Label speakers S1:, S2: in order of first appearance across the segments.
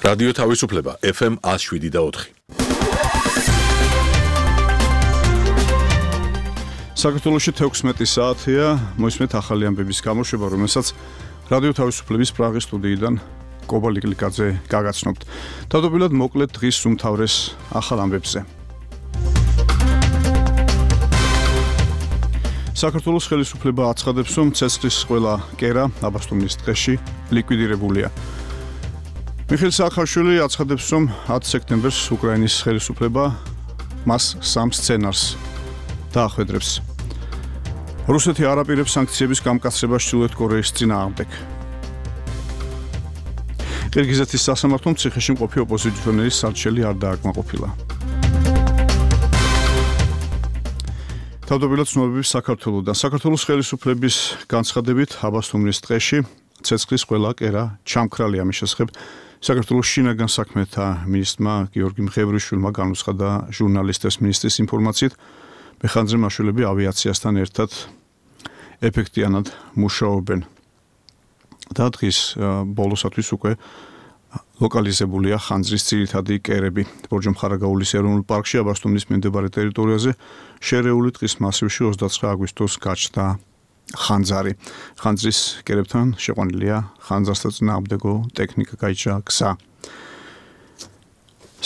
S1: რადიო თავისუფლება FM 107.4.
S2: საქართველოში 16 საათია, მოისმენთ ახალი ამბების გამოშვება, რომელსაც რადიო თავისუფლების პრაღის სტუდიიდან კობა ლიკლიკაძე გაგაცნობთ. თავდაპირველად მოკლედ დღის უმთავრეს ახალ ამბებზე. საქართველოს ხელისუფლება აცხადებს, რომ ცეცხლის ყველა კერა აბასთუმნის ტყეში ლიკვიდირებულია. მიხეილ სააკაშვილი აცხადებს, რომ 10 სექტემბერს უკრაინის ხელისუფლება მას 3 სცენარს დაახვედრებს. რუსეთი არ აპირებს სანქციების გამკაცრებას ჩრდილოეთ კორეის წინააღმდეგ. ყირგიზეთის სასამართლომ ციხეში მყოფი ოპოზიციონერის სარჩელი არ დააკმაყოფილა. თავდაპირველად ცნობები საქართველოდან. საქართველოს ხელისუფლების განცხადებით აბასთუმნის ტყეში ცეცხლის ყველა კერა ჩამქრალია. ამის შესახებ საქართველოს შინაგან საქმეთა მინისტრმა გიორგი მღევრიშვილმა განუცხადა ჟურნალისტებს მინისტრის ინფორმაციით, მეხანძრე მაშველები ავიაციასთან ერთად ეფექტიანად მუშაობენ. და დღის ბოლოსათვის უკვე ლოკალიზებულია ხანძრის ძირითადი კერები. ბორჯომხარაგაულის ეროვნულ პარკში აბასთუმნის მიმდებარე ტერიტორიაზე შერეული ტყის მასივში 29 აგვისტოს გაჩნდა ხანძარი. ხანძრის კერებთან შეყვანილია ხანძარსა წინააღმდეგო ტექნიკა, გაიჭრა გზა.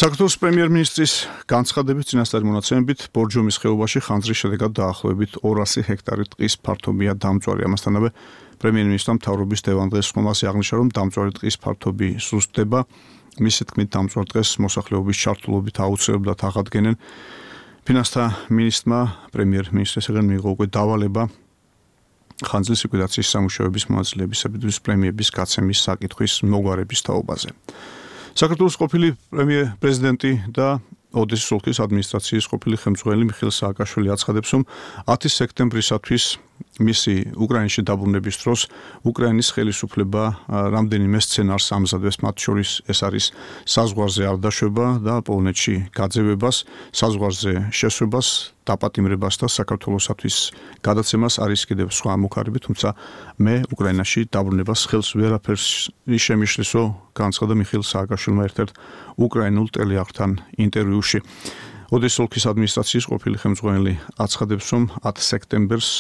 S2: საქართველოს პრემიერ-მინისტრის განცხადებით წინასწარი მონაცემებით ბორჯომის ხეობაში ხანძრის შედეგად დაახლოებით 200 ჰექტარი ტყის ფართობია დამწვარი. ამასთანავე პრემიერ-მინისტრმა მთავრობის დევანდდღეს ხომალდზე აღნიშნა, რომ დამწვარი ტყის ფართობი სუსტდება. მისი თქმით, დამწვარ ტყეს მოსახლეობის ჩართულობით აუცილებლად აღადგენენ. ფინანსთა მინისტრმა პრემიერ-მინისტრისგან მიიღო უკვე დავალება ხანძრის ლიკვიდაციის სამუშაოების მონაწილეებისათვის პრემიების გაცემის საკითხვის მოგვარების თაობაზე. საქართველოს ყოფილი პრეზიდენტი და ოდესის ოლქის ადმინისტრაციის ყოფილი ხელმძღვანელი მიხეილ სააკაშვილი აცხადებს, რომ 10 სექტემბრისათვის მისი უკრაინაში დაბრუნების დროს უკრაინის ხელისუფლება რამდენიმე სცენარს ამზადებს, მათ შორის ეს არის საზღვარზე არ დაშვება და პოლონეთში გაძევებას, საზღვარზე შესვებას, დაპატიმრებას და საქართველოსათვის გადაცემას. არის კიდევ სხვა მუქარები, თუმცა მე უკრაინაში დაბრუნებას ხელს ვერაფერს შემიშლისო, განცხადა მიხეილ სააკაშვილმა ერთ-ერთ უკრაინულ ტელეარხთან ინტერვიუში. ოდესის ოლქის ადმინისტრაციის ყოფილი ხელმძღვანელი აცხადებს, რომ 10 სექტემბერს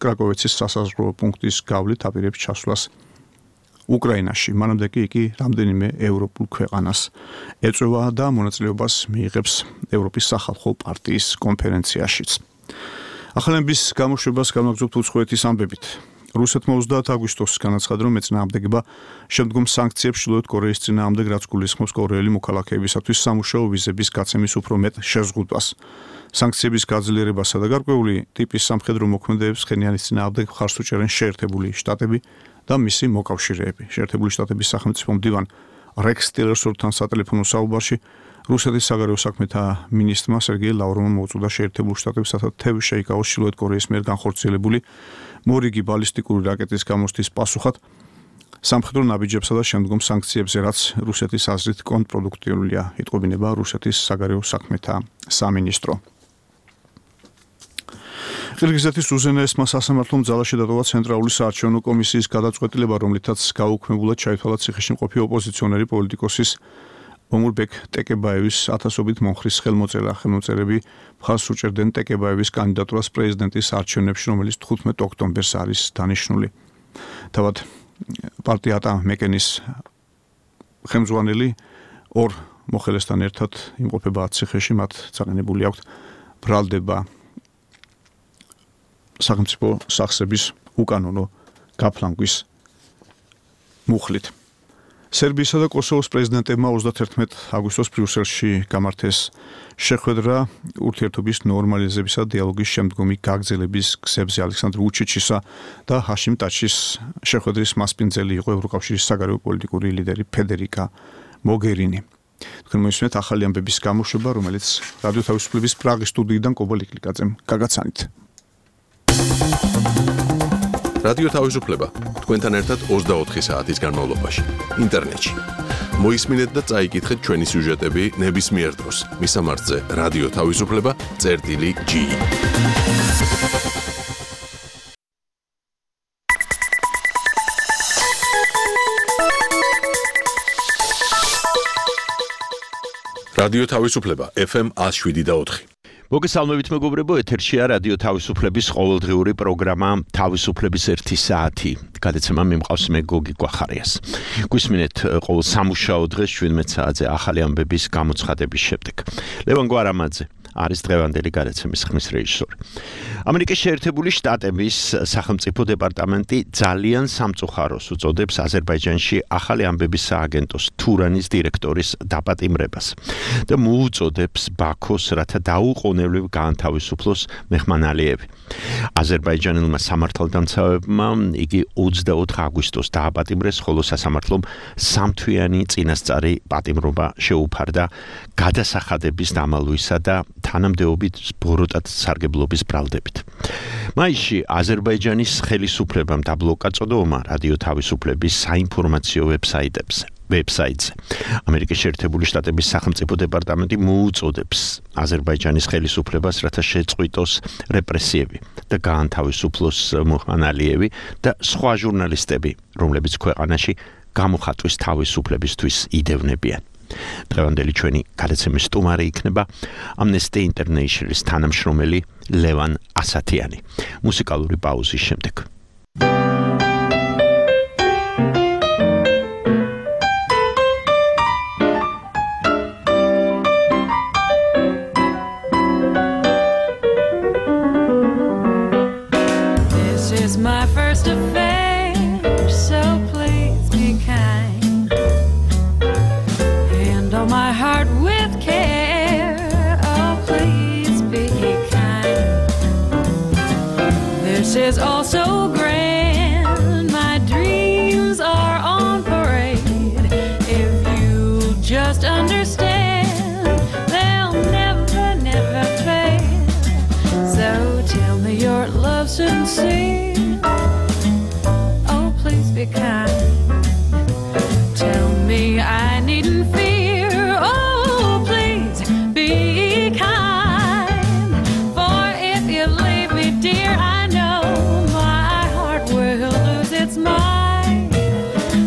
S2: კრაკოვეცის სასაზღვრო პუნქტის გავლით აპირებს ჩასვლას უკრაინაში. მანამდე კი იგი რამდენიმე ევროპულ ქვეყანას ეწევა და მონაწილეობას მიიღებს ევროპის სახალხო პარტიის კონფერენციაშიც. ახალების გამოშვებას განვაგრძობთ უცხოეთის ამბებით. რუსეთმა 30 აგვისტოს განაცხადა, რომ ეწინააღმდეგება შემდგომ სანქციებს ჩრდილოეთ კორეის წინააღმდეგ, რაც გულისხმობს კორეელი მოქალაქეებისათვის სამუშაო ვიზების გაცემის უფრო მეტ შეზღუდვას. სანქციების გაძლიერებასა და გარკვეული ტიპის სამხედრო მოქმედებებს ხენიანის წინააღმდეგ მხარს უჭერენ შეერთებული შტატები და მისი მოკავშირეები. შეერთებული შტატების სახელმწიფო მდივან რექს ტილერსონთან სატელეფონო საუბარში რუსეთის საგარეო საქმეთა მინისტრმა სერგეი ლავროვმა მოუწოდა შეერთებულ შტატებს, რათა თევი შეიკავოს ჩრდილოეთ კორეის მიერ განხორციელებული მორიგი ბალისტიკური რაკეტის გამოსთვის პასუხად სამხედრო ნაბიჯებსა და შემდგომ სანქციებზე, რაც რუსეთის აზრით კონტრპროდუქტიულია, იტყობინება რუსეთის საგარეო საქმეთა სამინისტრო. ყირგიზეთის უზენაესმა სასამართლომ ძალაში დატოვა ცენტრალური საარჩევნო კომისიის გადაწყვეტილება, რომლითაც გაუქმებულად ჩაითვალა ციხეში მყოფი ოპოზიციონერი პოლიტიკოსის ომურბეკ ტეკებაევის ათასობით მომხრის ხელმოწერა. ხელმოწერები მხარს უჭერდნენ ტეკებაევის კანდიდატურას პრეზიდენტის არჩევნებში, რომელიც 15 ოქტომბერს არის დანიშნული. თავად პარტია ატა მეკენის ხელმძღვანელი ორ მოხელესთან ერთად იმყოფება ციხეში, მათ წაგანებული აქვთ ბრალდება სახელმწიფო სახსრების უკანონო გაფლანგვის მუხლით. სერბიისა და კოსოვოს პრეზიდენტებმა 31 აგვისტოს ბრიუსელში გამართეს შეხვედრა ურთიერთობის ნორმალიზებისა და დიალოგის შემდგომი გაგრძელების გზებზე. ალექსანდრ ვუჩიჩისა და ჰაშიმ ტაჩის შეხვედრის მასპინძელი იყო ევროკავშირის საგარეო პოლიტიკური ლიდერი ფედერიკა მოგერინი. თქვენ მოისმენთ ახალი ამბების გამოშვება, რომელიც რადიო თავისუფლების პრაღის სტუდიიდან კობა ლიკლიკაძემ გაგაცანით.
S1: რადიო თავისუფლება თქვენთან ერთად 24 საათის განმავლობაში ინტერნეტში. მოისმინეთ და წაიკითხეთ ჩვენი სიუჟეტები ნებისმიერ დროს. მისამართზე რადიო თავისუფლება.ge რადიო თავისუფლება FM 107.4.
S3: მოგესალმებით მეგობრებო, ეთერშია რადიო თავისუფლების ყოველდღიური პროგრამა თავისუფლების 1 საათი. გადაცემა მიმყავს მე გოგი გვახარიას. გვისმინეთ ყოველ სამუშაო დღეს 17 საათზე ახალი ამბების გამოცხადების შემდეგ. ლევან გვარამაძე არის დღევანდელი გადაცემის ხმის რეჟისორი. ამერიკის შეერთებული შტატების სახელმწიფო დეპარტამენტი ძალიან სამწუხაროს უწოდებს აზერბაიჯანში ახალი ამბების სააგენტოს თურანის დირექტორის დაპატიმრებას და მოუწოდებს ბაქოს რათა დაუყოვნებლივ გაანთავისუფლოს მეჰმან ალიევი. აზერბაიჯანელმა სამართალდამცავებმა იგი 24 აგვისტოს დააპატიმრეს, ხოლო სასამართლომ სამთვიანი წინასწარი პატიმრობა შეუფარდა გადასახადების დამალვისა და თანამდებობით ბოროტად სარგებლობის ბრალდებით. მაისში აზერბაიჯანის ხელისუფლებამ დაბლოკა წოდომა რადიო თავისუფლების საინფორმაციო ვებსაიტზე. ამერიკის შეერთებული შტატების სახელმწიფო დეპარტამენტი მოუწოდებს აზერბაიჯანის ხელისუფლებას, რათა შეწყვიტოს რეპრესიები და გაანთავისუფლოს მეჰმან ალიევი და სხვა ჟურნალისტები, რომლებიც ქვეყანაში გამოხატვის თავისუფლებისთვის იდევნებიან. დღევანდელი ჩვენი გადაცემის სტუმარი იქნება Amnesty International-ის თანამშრომელი ლევან ასათიანი. მუსიკალური პაუზის შემდეგ.
S4: This is my first affair, so please be kind. Handle my heart with care, oh please be kind. This is all so grand, my dreams are on parade. If you just understand, they'll never, never fade. So tell me your love sincere, oh please be kind. Tell me I needn't fear, oh please be kind. For if you leave me, dear, I know my heart will lose its mind.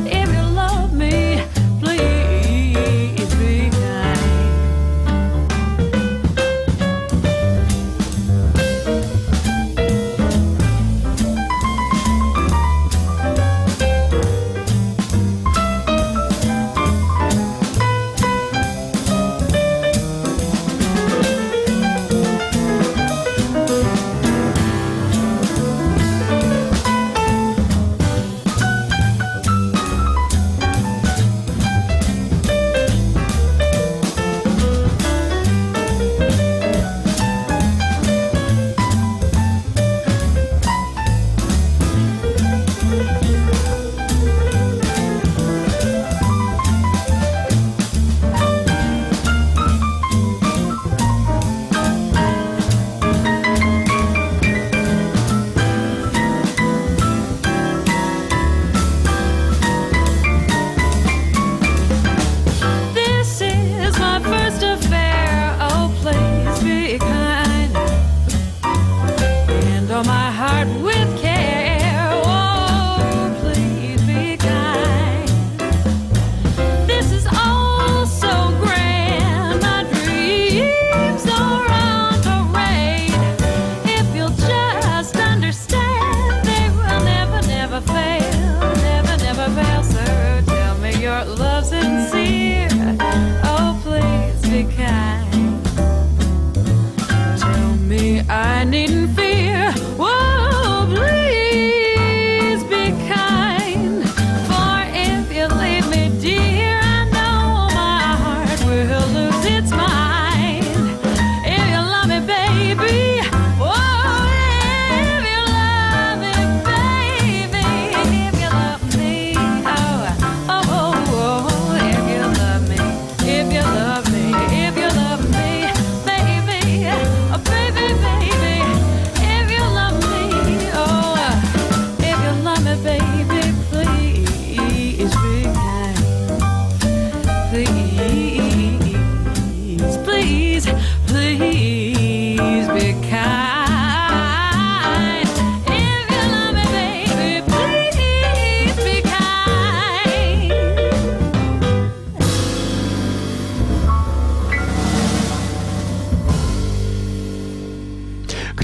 S4: If you love me, please be kind.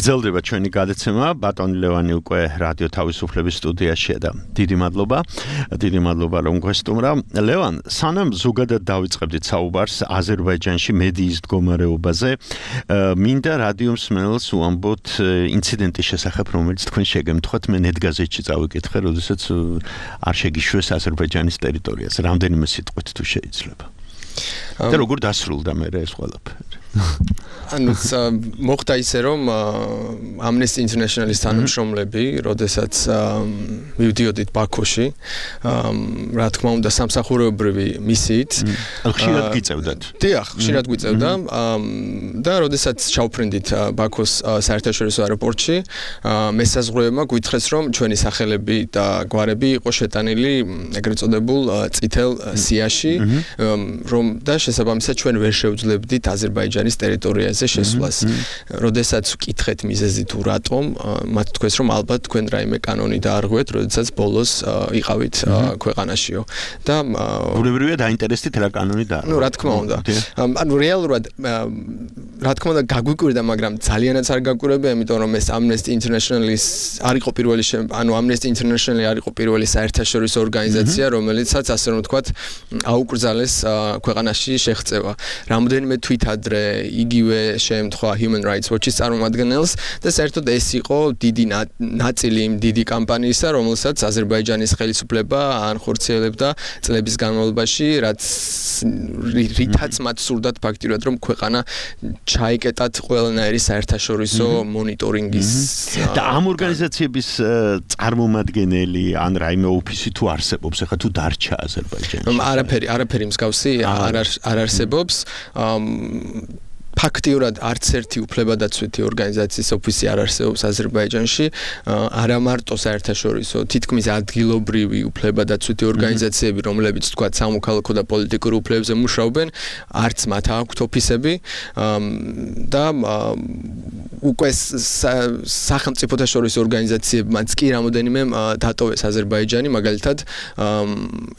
S3: გრძელდება ჩვენი გადაცემა. ბატონი ლევანი უკვე რადიო თავისუფლების სტუდიაშია და დიდი მადლობა რომ გვესტუმრა. ლევან, სანამ ზოგადად დავიწყებდით საუბარს აზერბაიჯანში მედიის მდგომარეობაზე, მინდა რადიო მსმენელს უამბოთ ინციდენტის შესახებ, რომელიც თქვენ შეგემთხვათ, მე ნეტგაზეთში წავიკითხე, როდესაც არ შეგიშვეს აზერბაიჯანის ტერიტორიაზე. რამდენიმე სიტყვით თუ შეიძლება. და როგორ დასრულდა მე ეს ყველაფერი?
S5: ანუ მოხდა ისე რომ Amnesty International-ის თანამშრომლები, როდესაც მივდიოდით ბაქოში, რა თქმა უნდა სამსახურებრივი მისიით,
S3: ხშირად გიწევდათ.
S5: დიახ, ხშირად გვიწევდა და როდესაც ჩავფრინდით ბაქოს საერთაშორისო აეროპორტში, მესაზღვრეებმა გვითხრეს, რომ ჩვენი სახელები და გვარები იყო შეტანილი ეგრეთ წოდებულ წითელ სიაში, რომ და შესაბამისად ჩვენ ვერ შევძლებდით აზერბაიჯანის ტერიტორიაზე შესვლას. როდესაც ვკითხეთ მიზეზი თუ რატომ, მათ თქვეს, რომ ალბათ თქვენ რაიმე კანონი დაარღვევთ, როდესაც ბოლოს იყავით ქვეყანაშიო. და
S3: ბუნებრივია დაინტერესდით რა კანონი დაარღვევთ.
S5: ნუ რა თქმა უნდა. ანუ რეალურად რა თქმა უნდა გაგვიკვირდა, მაგრამ ძალიანაც არ გაგვიკვირდა, იმიტომ რომ ეს Amnesty International-ის არ იყო პირველი Amnesty International-ი არ იყო პირველი საერთაშორისო ორგანიზაცია, რომელიცაც ასე რომ ვთქვათ, აუკრძალეს ქვეყანაში შეღწევა. რამდენიმე თვით ადრე იგივე შეემთხვა Human Rights Watch-ის წარმომადგენელს და საერთოდ ეს იყო დიდი ნაწილი იმ დიდი კამპანიისა, რომელსაც აზერბაიჯანის ხელისუფლება ანხორციელებდა წლების განმავლობაში, რითაც მათ სურდათ ფაქტიურად, რომ ქვეყანა ჩაიკეტათ ყველანაირი საერთაშორისო მონიტორინგის
S3: და ამ ორგანიზაციების წარმომადგენელი ან რაიმე ოფისი თუ არსებობს, ახლა თუ დარჩა აზერბაიჯანში? არაფერი მსგავსი არ არსებობს. ფაქტიურად არც ერთი უფლებადაცვითი ორგანიზაციის ოფისი არ არსებობს აზერბაიჯანში, არა მარტო საერთაშორისო, თითქმის ადგილობრივი უფლებადაცვითი ორგანიზაციები, რომლებიც თქვა სამოქალაქო და პოლიტიკურ უფლებებზე მუშაობენ, არც მათ აქვთ ოფისები და უკვე სახელმწიფოთა შორის ორგანიზაციებმაც კი რამოდენიმე დატოვეს აზერბაიჯანი, მაგალითად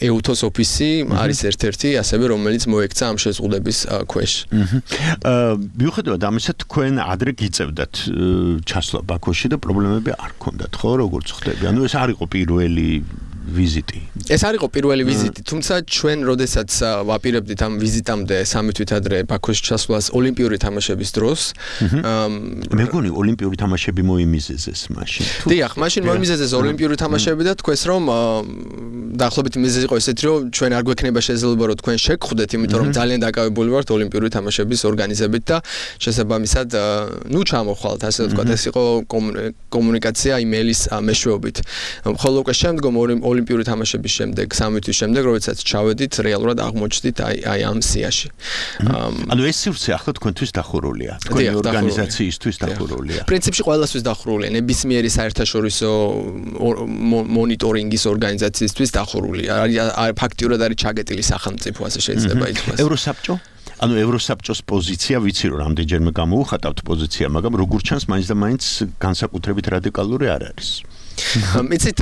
S3: EUTOS ოფისი არის ერთ-ერთი, ასევე რომელიც მოექცა ამ შეზღუდების ქვეშ. მიუხედავად ამისა, თქვენ ადრე გიწევდათ ჩასვლა ბაქოში და პრობლემები არ გქონდათ, ხო, როგორც ხდები? ანუ ეს არ იყო პირველი ვიზიტი.
S5: ეს არ იყო პირველი ვიზიტი, თუმცა ჩვენ როდესაც ვაპირებდით ამ ვიზიტამდე 3 თვით ადრე ბაქოში ჩასვლას ოლიმპიური თამაშების დროს,
S3: მე მგონი ოლიმპიური თამაშები მოიმიზეზეს მაშინ.
S5: დიახ, მაშინ მოიმიზეზეს ოლიმპიური თამაშები და თქვეს, რომ დაახლოებით მიზეზი იყო ესეთი, რომ ჩვენ არ გვექნება შესაძლებლობა, რომ თქვენ შეგხვდეთ, იმიტომ რომ ძალიან დაკავებული ვართ ოლიმპიური თამაშების ორგანიზებით და შესაბამისად, ნუ ჩამოხვალთ, ასე ვთქვათ, ეს იყო კომუნიკაცია იმეილის მეშვეობით. ხოლო უკვე შემდგომ ოლიმპიური თამაშების შემდეგ, 3 თვის შემდეგ, როდესაც ჩავედით, რეალურად აღმოჩნდით აი ამ სიაში.
S3: ანუ ეს სივრცე ახლა თქვენთვის დახურულია, თქვენი ორგანიზაციისთვის დახურულია.
S5: პრინციპში ყველასთვის დახურულია, ნებისმიერი საერთაშორისო მონიტორინგის ორგანიზაციისთვის დახურულია. ფაქტიურად არის ჩაგეტილი სახელმწიფო, ასე შეიძლება ითქვას.
S3: ევროსაბჭო? ანუ ევროსაბჭოს პოზიცია ვიცი რომ რამდენჯერმე გამოუხატავთ პოზიცია, მაგრამ როგორ ჩანს მაინც და მაინც განსაკუთრებით რადიკალური არ არის.
S5: მიცით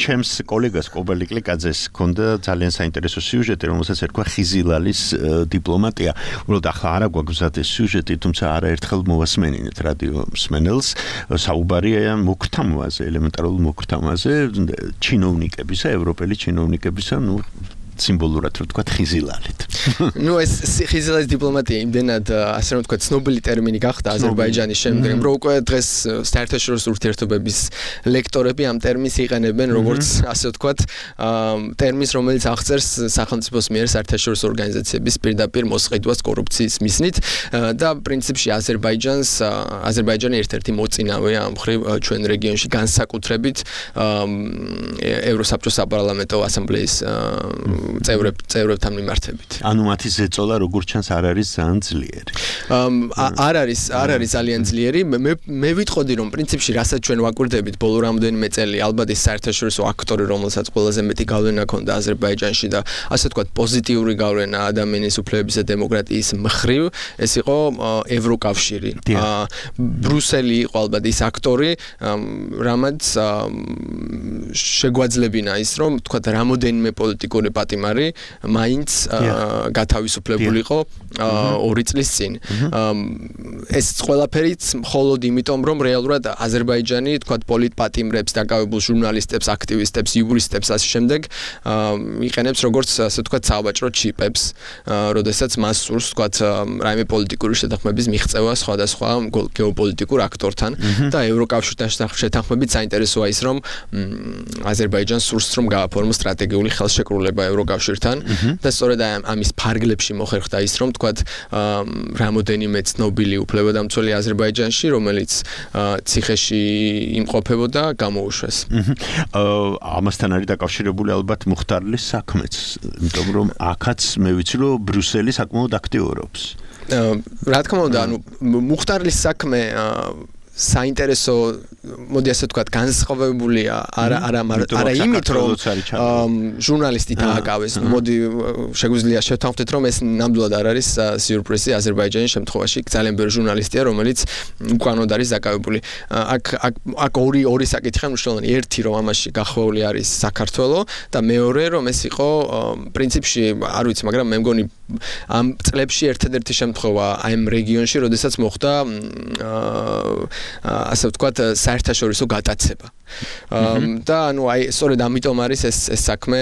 S3: ჩემს კოლეგას კობალი კლიკაძეს ჰქონდა ძალიან საინტერესო სიუჟეტი, რომელსაც ერქვა ხიზილალის დიპლომატია. უბრალოდ ახლა არა გვაქვს ეს სიუჟეტი, თუმცა არაერთხელ მოვასმენინეთ რადიო მსმენელს. საუბარია მოქრთამაზე, ელემენტარულ მოქრთამაზე, ჩინოვნიკებისა, ევროპელი ჩინოვნიკებისა, ნუ სიმბოლურად რო თქვა ხიზილალით.
S5: ნუ ეს ხიზილალის დიპლომატია იმდენად ასე რომ თქვა ცნობილი ტერმინი გახდა აზერბაიჯანის შემდეგ, რომ უკვე დღეს საერთაშორისო ურთიერთობების ლექტორები ამ ტერმინს იყენებენ როგორც ასე ვთქვათ ტერმინს, რომელიც აღწერს სახელმწიფოს მიერ საერთაშორისო ორგანიზაციების პირდაპირ მოსყიდვას კორუფციის მიზნით და პრინციპში აზერბაიჯანი ერთ-ერთი მოწინავეა ამ მხრივ ჩვენ რეგიონში განსაკუთრებით ევროსაბჭოს საპარლამენტო ასამბლეის წევრებთან მიმართებით.
S3: ანუ მათი ზეწოლა როგორც ჩანს არ არის ძალიან ძლიერი.
S5: არ არის ძალიან ძლიერი. მე ვიტყოდი რომ პრინციპში რასაც ჩვენ ვაკვირდებით ბოლო რამდენიმე წელი, ალბათ ის საერთაშორისო აქტორი, რომელსაც ყველაზე მეტი გავლენა ჰქონდა აზერბაიჯანში და ასე ვთქვათ პოზიტიური გავლენა ადამიანის უფლებების და დემოკრატიის მხრივ, ეს იყო ევროკავშირი. ბრუსელი იყო ალბათ ის აქტორი, რამაც
S3: შეგვაძლებინა ის რომ თქვა რამოდენიმე პოლიტიკური პატიმარი მაინც გათავისუფლებულიყო 2 წლის წინ. ეს ყველაფერიც მხოლოდ იმიტომ რომ რეალურად აზერბაიჯანი თქვა პოლიტპატიმრებს, დაკავებულ ჟურნალისტებს, აქტივისტებს, იურისტებს ასე შემდეგ იყენებს როგორც ასე თქვა საბაჭრო ჩიპებს, როდესაც მას სურს თქვა რაიმე პოლიტიკური შეთანხმების მიღწევა სხვადასხვა გეოპოლიტიკურ აქტორთან და ევროკავშირთან შეთანხმებით საინტერესოა ის რომ აზერბაიჯანს სურს რომ გააფორმოს სტრატეგიული ხელშეკრულება ევროკავშირთან და სწორედ ამის ფარგლებში მოხერხდა ის რომ თქვა რამოდენიმე ცნობილი უფლებადამცველი აზერბაიჯანში რომელიც ციხეში იმყოფებოდა გამოუშვეს.
S6: ამასთან არის დაკავშირებული ალბათ მუხტარლის საქმეც, იმიტომ რომ აქაც მე ვიცი რომ ბრიუსელი საკმაოდ აქტიურობს.
S3: რა თქმა უნდა, ანუ მუხტარლის საქმე საინტერესო მოდი ასე ვთქვათ განსხვავებულია არა იმით რომ ჟურნალისტი დააკავეს მოდი შეგვიძლია შევთანხმდეთ რომ ეს ნამდვილად არ არის სიურპრიზი აზერბაიჯანის შემთხვევაში ძალიან ბევრი ჟურნალისტია რომელიც უკანონოდ არის დაკავებული აქ ორი საკითხია მნიშვნელოვანი ერთი რომ ამაში გახვეული არის საქართველო და მეორე რომ ეს იყო პრინციპში არ ვიცი მაგრამ მე მგონი ამ წლებში ერთადერთი შემთხვევა ამ რეგიონში როდესაც მოხდა ასე ვთქვათ საერთაშორისო გატაცება. და ანუ აი სწორედ ამიტომ არის ეს საქმე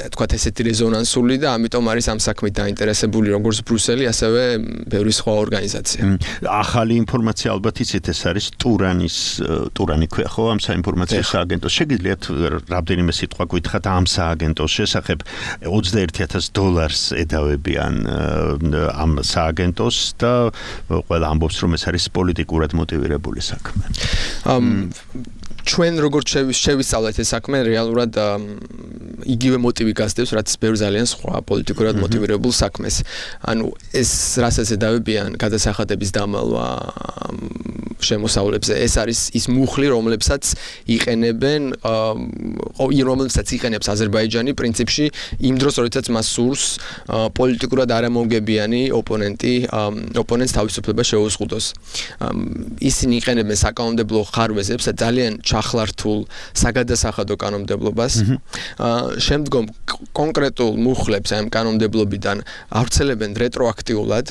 S3: ვთქვათ ესეთი რეზონანსული და ამიტომ არის ამ საქმით დაინტერესებული როგორც ბრიუსელი ასევე ბევრი სხვა ორგანიზაცია.
S6: ახალი ინფორმაცია ალბათ იცით ეს არის ტურანი ქვია ხო ამ საინფორმაციო სააგენტოს შეგიძლიათ რამდენიმე სიტყვა გითხრათ ამ სააგენტოს შესახებ $21,000 ედავებიან ამ სააგენტოს და ყველა ამბობს რომ ეს არის პოლიტიკურად მოტივირებული საქმე.
S3: ჩვენ როგორც შევისწავლეთ ეს საქმე რეალურად იგივე მოტივი გასდევს რაც ბევრ ძალიან სხვა პოლიტიკურად მოტივირებულ საქმეს. ანუ ეს რასაც ედავებიან გადასახადების დამალვა შემოსავლებზე ეს არის ის მუხლი რომლებსაც იყენებს აზერბაიჯანი პრინციპში იმ დროს როდესაც მას სურს პოლიტიკურად არამომგებიანი ოპონენტს თავისუფლება შეუზღუდოს. ისინი იყენებენ საკანონმდებლო ხარვეზებს და ძალიან ჩახლართულ საგადასახადო კანონმდებლობას. შემდგომ კონკრეტულ მუხლებს ამ კანონმდებლობიდან ავრცელებენ რეტროაქტიულად.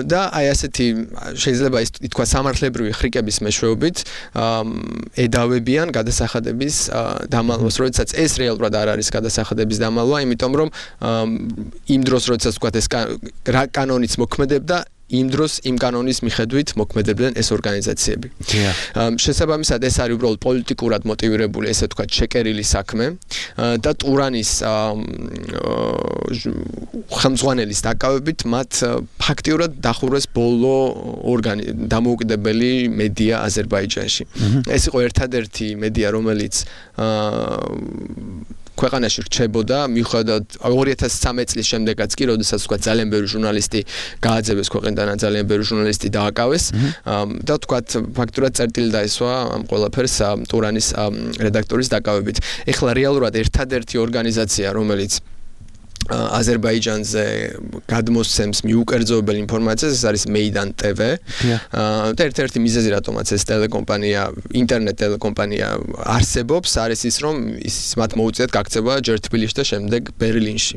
S3: და აი ასეთი შეიძლება ითქვა სამართლებრივი ხრიკების მეშვეობით ედავებიან გადასახადების დამალვას, როდესაც ეს რეალურად არ არის გადასახადების დამალვა, იმიტომ რომ იმ დროს როდესაც თქვა ეს კანონიც მოქმედებდა იმ დროს იმ კანონის მიხედვით მოქმედებდნენ ეს ორგანიზაციები. შესაბამისად ეს არის უბრალოდ პოლიტიკურად მოტივირებული, ესე ვთქვათ, შეკერილი საქმე და ტურანის ხელმძღვანელის დაკავებით მათ ფაქტიურად დახურეს ბოლო დამოუკიდებელი მედია აზერბაიჯანში. ეს იყო ერთადერთი მედია, რომელიც ქვეყანაში რჩებოდა, მიუხედავად 2013 წლის შემდეგაც კი, როდესაც თქვა ძალიან ბევრი ჟურნალისტი გააძევეს ქვეყნიდან, ძალიან ბევრი ჟურნალისტი დააკავეს და თქვა ფაქტურად წერტილი დაესვა ამ ყველაფერს ტურანის რედაქტორის დაკავებით. ეხლა რეალურად ერთადერთი ორგანიზაცია, რომელიც აზერბაიჯანზე გადმოსცემს მიუკერძოებელ ინფორმაციას, ეს არის Meydan TV. და ერთ-ერთი მიზეზი რატომაც ეს ტელეკომპანია, ინტერნეტ ტელეკომპანია არსებობს, არის ის, რომ მათ მოუწიათ გაქცევა ჯერ თბილისში და შემდეგ ბერლინში.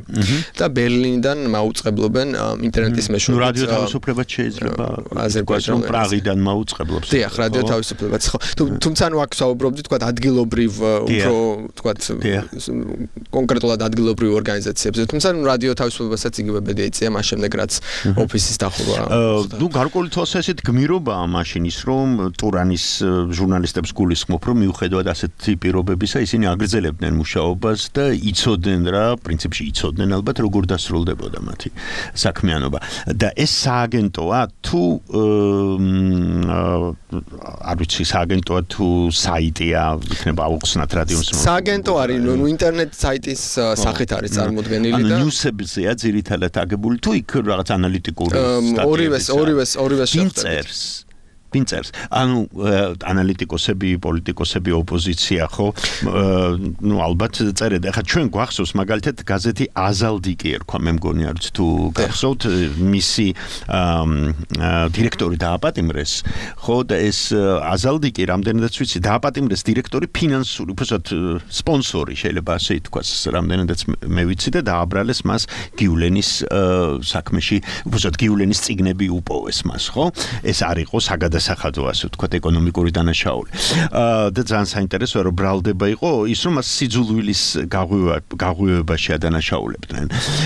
S3: და ბერლინიდან მაუწყებლობენ ინტერნეტის მეშვეობით.
S6: რადიო თავისუფლებაც შეიძლება აზერბაიჯანში პრაღიდან მაუწყებლობს.
S3: დიახ, რადიო თავისუფლებაც ხო. თუმცა ნუ აქ საუბრობდით, თქვა ადგილობრივ უფრო თქვა კონკრეტულად ადგილობრივ ორგანიზაციებზე. თუმცა რადიო თავისუფლებასაც იგივე ბედი ეწია მას შემდეგ რაც ოფისის დახურვა.
S6: ნუ გარკვეული თვალსაზრისით გმირობაა მაშინ ის რომ ტურანის ჟურნალისტებს გულისხმობ რომ მიუხედავად ასეთი პირობებისა ისინი აგრძელებდნენ მუშაობას და იცოდნენ რა პრინციპში იცოდნენ ალბათ როგორ დასრულდებოდა მათი საქმიანობა. და ეს სააგენტოა თუ არ ვიცი სააგენტოა თუ საიტია იქნება აუხსნათ რადიოს
S3: სააგენტო არის ნუ ინტერნეტ საიტის სახით არის წარმოდგენილი და
S6: ნიუსებზეა ძირითადად აგებული თუ იქ რაღაც ანალიტიკური
S3: ორივეს
S6: შეხვდებით. ვინ წერს? ანუ ანალიტიკოსები, პოლიტიკოსები, ოპოზიცია ხო? ნუ ალბათ წერეთ. ახლა ჩვენ გვახსოვს მაგალითად გაზეთი აზალდიკი ერქვა, მე მგონი არც თუ გახსოვთ მისი დირექტორი დააპატიმრეს, ხო და ეს აზალდიკი რამდენადაც ვიცი დააპატიმრეს დირექტორი ფინანსური, უბრალოდ სპონსორი შეიძლება ასე ითქვას, რამდენადაც მე ვიცი და დააბრალეს მას გიულენის საქმეში, უბრალოდ გიულენის წიგნები უპოვეს მას, ხო? ეს არ იყო საგადასახადო, ასე ვთქვათ, ეკონომიკური დანაშაული. და ძალიან საინტერესოა, რომ ბრალდება იყო ის, რომ მას სიძულვილის გაღვივებაში ადანაშაულებდნენ.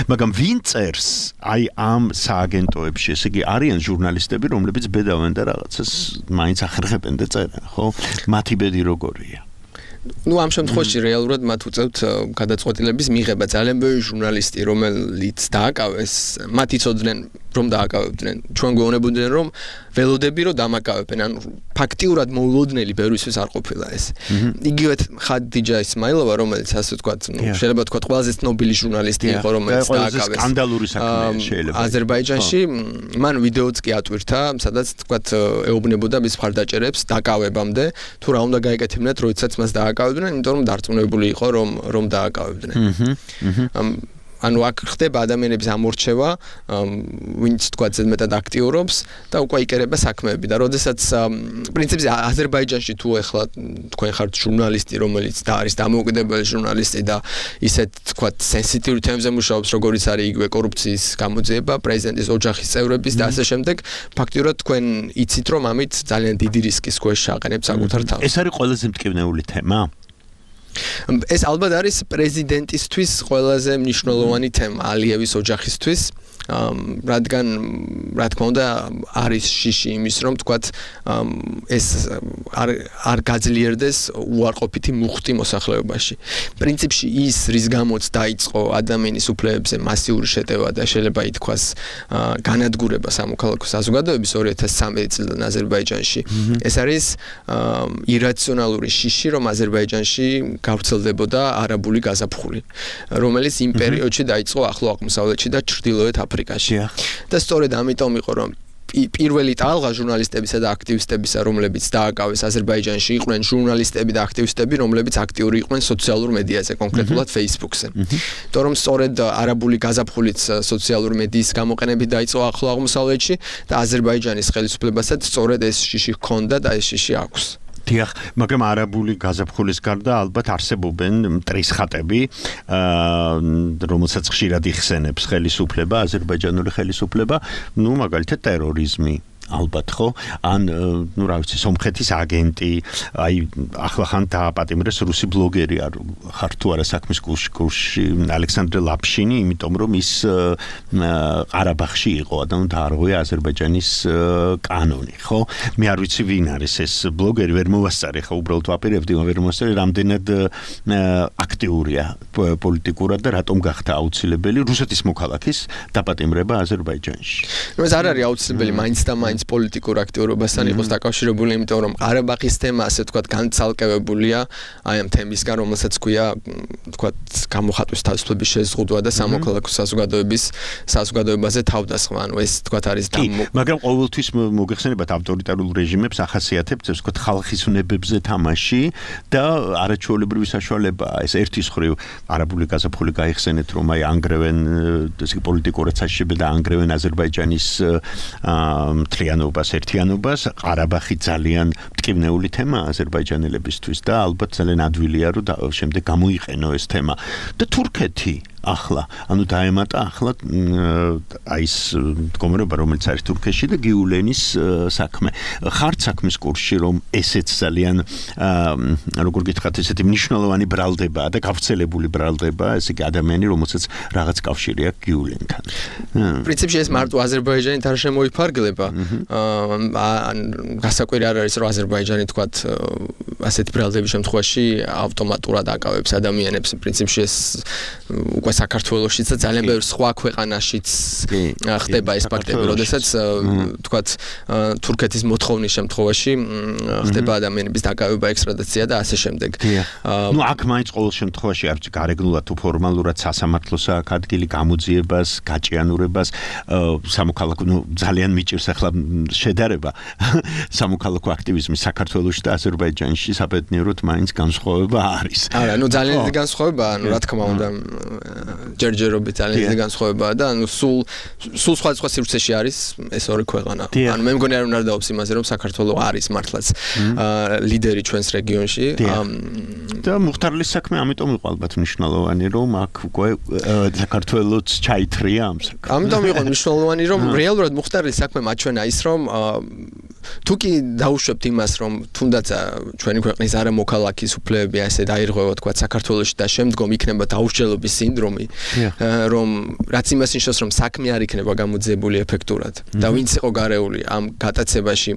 S6: მაგრამ ვინ წერს აი ამ სააგენტოებში, ესე იგი არიან ჟურნალისტები, რომლებიც ბედავენ და რაღაცას მაინც ახერხებენ და წერენ, ხო? მათი ბედი როგორია?
S5: ნუ ამ შემთხვევაში რეალურად მათ უწევთ გადაწყვეტილების მიღება. ძალიან ბევრი ჟურნალისტი, რომელიც დააკავეს, მათ იცოდნენ რომ დააკავებდნენ. ჩვენ გვეუბნებოდნენ რომ ველოდები რომ დამაკავებენ. ანუ ფაქტიურად მოულოდნელი ბევრისთვის არ ყოფილა ეს. იგივე ხადიჯა ისმაილოვა, რომელიც ასე ვთქვათ, შეიძლება ვთქვათ ყველაზე ცნობილი ჟურნალისტი იყო, რომელიც დააკავეს.
S6: სკანდალური საქმეა შეიძლება.
S5: აზერბაიჯანში მან ვიდეოც კი ატვირთა, სადაც ვთქვათ ეუბნებოდა მის მხარდაჭერებს დაკავებამდე, თუ რა უნდა გაეკეთებინათ, როდესაც მას დააკავებდნენ, იმიტომ რომ დარწმუნებული იყო რომ დააკავებდნენ. ანუ აქ ხდება ადამიანების ამორჩევა, ვინც თქვა ზედმეტად აქტიურობს და უკვე იკერება საქმეები და როდესაც პრინციპზე აზერბაიჯანში თუ ეხლა თქვენ ხართ ჟურნალისტი, რომელიც და არის დამოუკიდებელი ჟურნალისტი და ისეთ თქვა სენსიტივურ თემებზე მუშაობს, როგორიც არის იგივე კორუფციის გამოძიება, პრეზიდენტის ოჯახის წევრების და ასე შემდეგ, ფაქტიურად თქვენ იცით რომ ამით ძალიან დიდი რისკის ქვეშ აყენებს საკუთარ თავს.
S6: ეს არის ყველაზე მტკივნეული თემა?
S5: ეს ალბათ არის პრეზიდენტისთვის ყველაზე მნიშვნელოვანი თემა ალიევის ოჯახისთვის, რადგან რა თქმა უნდა არის შიში იმის რომ თქვათ ეს არ გაძლიერდეს უარყოფითი მუხტი მოსახლეობაში. პრინციპში ის რის გამოც დაიწყო ადამიანის უფლებებზე მასიური შეტევა და შეიძლება ითქვას განადგურება სამოქალაქო საზოგადოების 2013 წლიდან აზერბაიჯანში. ეს არის ირაციონალური შიში რომ აზერბაიჯანში გავრცელდებოდა არაბული გაზაფხული, რომელიც იმ პერიოდში დაიწყო ახლო აღმოსავლეთში და ჩრდილოეთ აფრიკაში. და სწორედ ამიტომ იყო რომ პირველი ტალღა ჟურნალისტებისა და აქტივისტებისა, რომლებიც დააკავეს აზერბაიჯანში, იყვნენ ჟურნალისტები და აქტივისტები, რომლებიც აქტიური იყვნენ სოციალურ მედიაზე, კონკრეტულად Facebook-ზე. იმიტომ რომ სწორედ არაბული გაზაფხულით სოციალური მედიის გამოყენებით დაიწყო ახლო აღმოსავლეთში და აზერბაიჯანის ხელისუფლებასაც სწორედ ეს შიში ჰქონდა და ეს შიში აქვს.
S6: დიახ, მაგრამ არაბული გაზაფხულის გარდა ალბათ არსებობენ მტრისხატები, რომელსაც ხშირად იხსენებს ხელისუფლება, აზერბაიჯანული ხელისუფლება, ნუ მაგალითად ტერორიზმი. ალბათ ხო? ან ნუ რა ვიცი, სომხეთის აგენტი, აი ახლა ხან დააპატიმრეს რუსი ბლოგერი არ ხარ თუ არა საქმის კურსში ალექსანდრე ლაპშინი, იმიტომ რომ ის ყარაბაღში იყო, ანუ დაარღვია აზერბაიჯანის კანონი, ხო? მე არ ვიცი ვინ არის ეს ბლოგერი, ვერ მოვასწარე ხა, უბრალოდ ვაპირებდი, ვერ მოვასწარე, რამდენად აქტიურია პოლიტიკურად და რატომ გახდა აუცილებელი რუსეთის მოქალაქის დაპატიმრება აზერბაიჯანში.
S5: ნუ ეს არ არის აუცილებელი მაინც და მაინც პოლიტიკურ აქტიურობასთან იყოს დაკავშირებული, იმიტომ რომ ყარაბაღის თემა ასე ვთქვათ განცალკევებულია აი ამ თემისგან, რომელსაც ქვია ვთქვათ გამოხატვის თავისუფლების შეზღუდვა და სამოქალაქო საზოგადოებაზე თავდასხმა. ანუ ეს ვთქვათ არის
S6: მაგრამ ყოველთვის მოგეხსენებათ ავტორიტარულ რეჟიმებს ახასიათებთ ეს ვთქვათ ხალხის უნებებზე თამაში და არაჩვეულებრივი საშუალებაა. ეს ერთის მხრივ არაბული გაზაფხული გაიხსენეთ, რომ აი ანგრევენ ესე პოლიტიკურად საშიშებენ და ანგრევენ აზერბაიჯანის მთლიანობას, ერთიანობას, ყარაბაღი ძალიან მტკივნეული თემაა აზერბაიჯანელებისთვის და ალბათ ძალიან ადვილია რომ შემდეგ გამოიყენო ეს თემა. და თურქეთი ახლა, ანუ დაემატა ახლა აი ეს მდგომარეობა, რომელიც არის თურქეთში და გიულენის საქმე. ხართ საქმის კურსში, რომ ესეც ძალიან როგორ გითხრათ, ესეთი მნიშვნელოვანი ბრალდებაა და გავრცელებული ბრალდებაა, ესე იგი ადამიანი, რომელსაც რაღაც კავშირი აქვს გიულენთან.
S5: პრინციპში ეს მარტო აზერბაიჯანით არ შემოიფარგლება. გასაკვირი არ არის, რომ აზერბაიჯანი თქვათ ასეთ ბრალდების შემთხვევაში ავტომატურად აკავებს ადამიანებს. პრინციპში ეს უკვე
S3: საქართველოშიც და ძალიან ბევრ სხვა ქვეყანაშიც ხდება ეს ფაქტები, როდესაც თქვათ თურქეთის მოთხოვნის შემთხვევაში ხდება ადამიანების დაკავება, ექსტრადიცია და ასე შემდეგ.
S6: ნუ აქ მაინც ყოველ შემთხვევაში არც გარეგნულად თუ ფორმალურად სასამართლოს აქ ადგილი გამოძიებას, გაჭიანურებას, სამოქალაქო ძალიან მიჭირს ახლა შედარება სამოქალაქო აქტივიზმის საქართველოში და აზერბაიჯანში საბედნიეროდ მაინც განსხვავება არის.
S3: არა, ნუ ძალიან დიდი განსხვავებაა, ნუ რა თქმა უნდა, ჯერჯერობით ძალიან დიდი განსხვავებაა და ნუ სულ სხვა სივრცეში არის ეს ორი ქვეყანა. ანუ მე მგონი არ უნდა დავობს იმაზე, რომ საქართველოს არის მართლაც ლიდერი ჩვენს რეგიონში.
S6: და მუხტარლის საქმე ამიტომ იყო ალბათ მნიშვნელოვანი, რომ აქ უკვე საქართველოს ჩაითრია ამ საქმეს.
S3: ამიტომ იყო მნიშვნელოვანი, რომ რეალურად მუხტარლის საქმე მაჩვენა ის, რომ თუ კი დაუშვებთ იმას, რომ თუნდაც ჩვენი ქვეყნის არამოქალაქის უფლებები ასე დაირღვევა თქვა საქართველოში და შემდგომ იქნება დაუსჯელობის სინდრომი, რომ რაც იმას ნიშნავს, რომ საქმე არ იქნება გამოძიებული ეფექტურად და ვინც იყო გარეული ამ გატაცებაში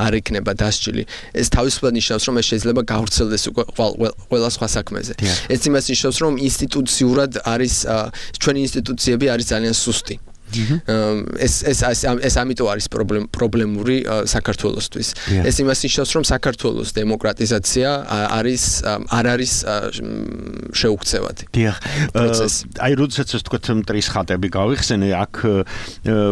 S3: არ იქნება დასჯილი. ეს თავისუფლად ნიშნავს, რომ ეს შეიძლება გავრცელდეს უკვე ყველა სხვა საქმეზე. ეს იმას ნიშნავს, რომ ინსტიტუციურად არის ჩვენი ინსტიტუციები არის ძალიან სუსტი. ეს ამიტომ არის პრობლემური საქართველოსთვის. ეს იმას ნიშნავს, რომ საქართველოს დემოკრატიზაცია არ არის შეუქცევადი.
S6: დიახ. აი როდესაც ეს თქვა მტრის ხატები გავიხსენე, აქ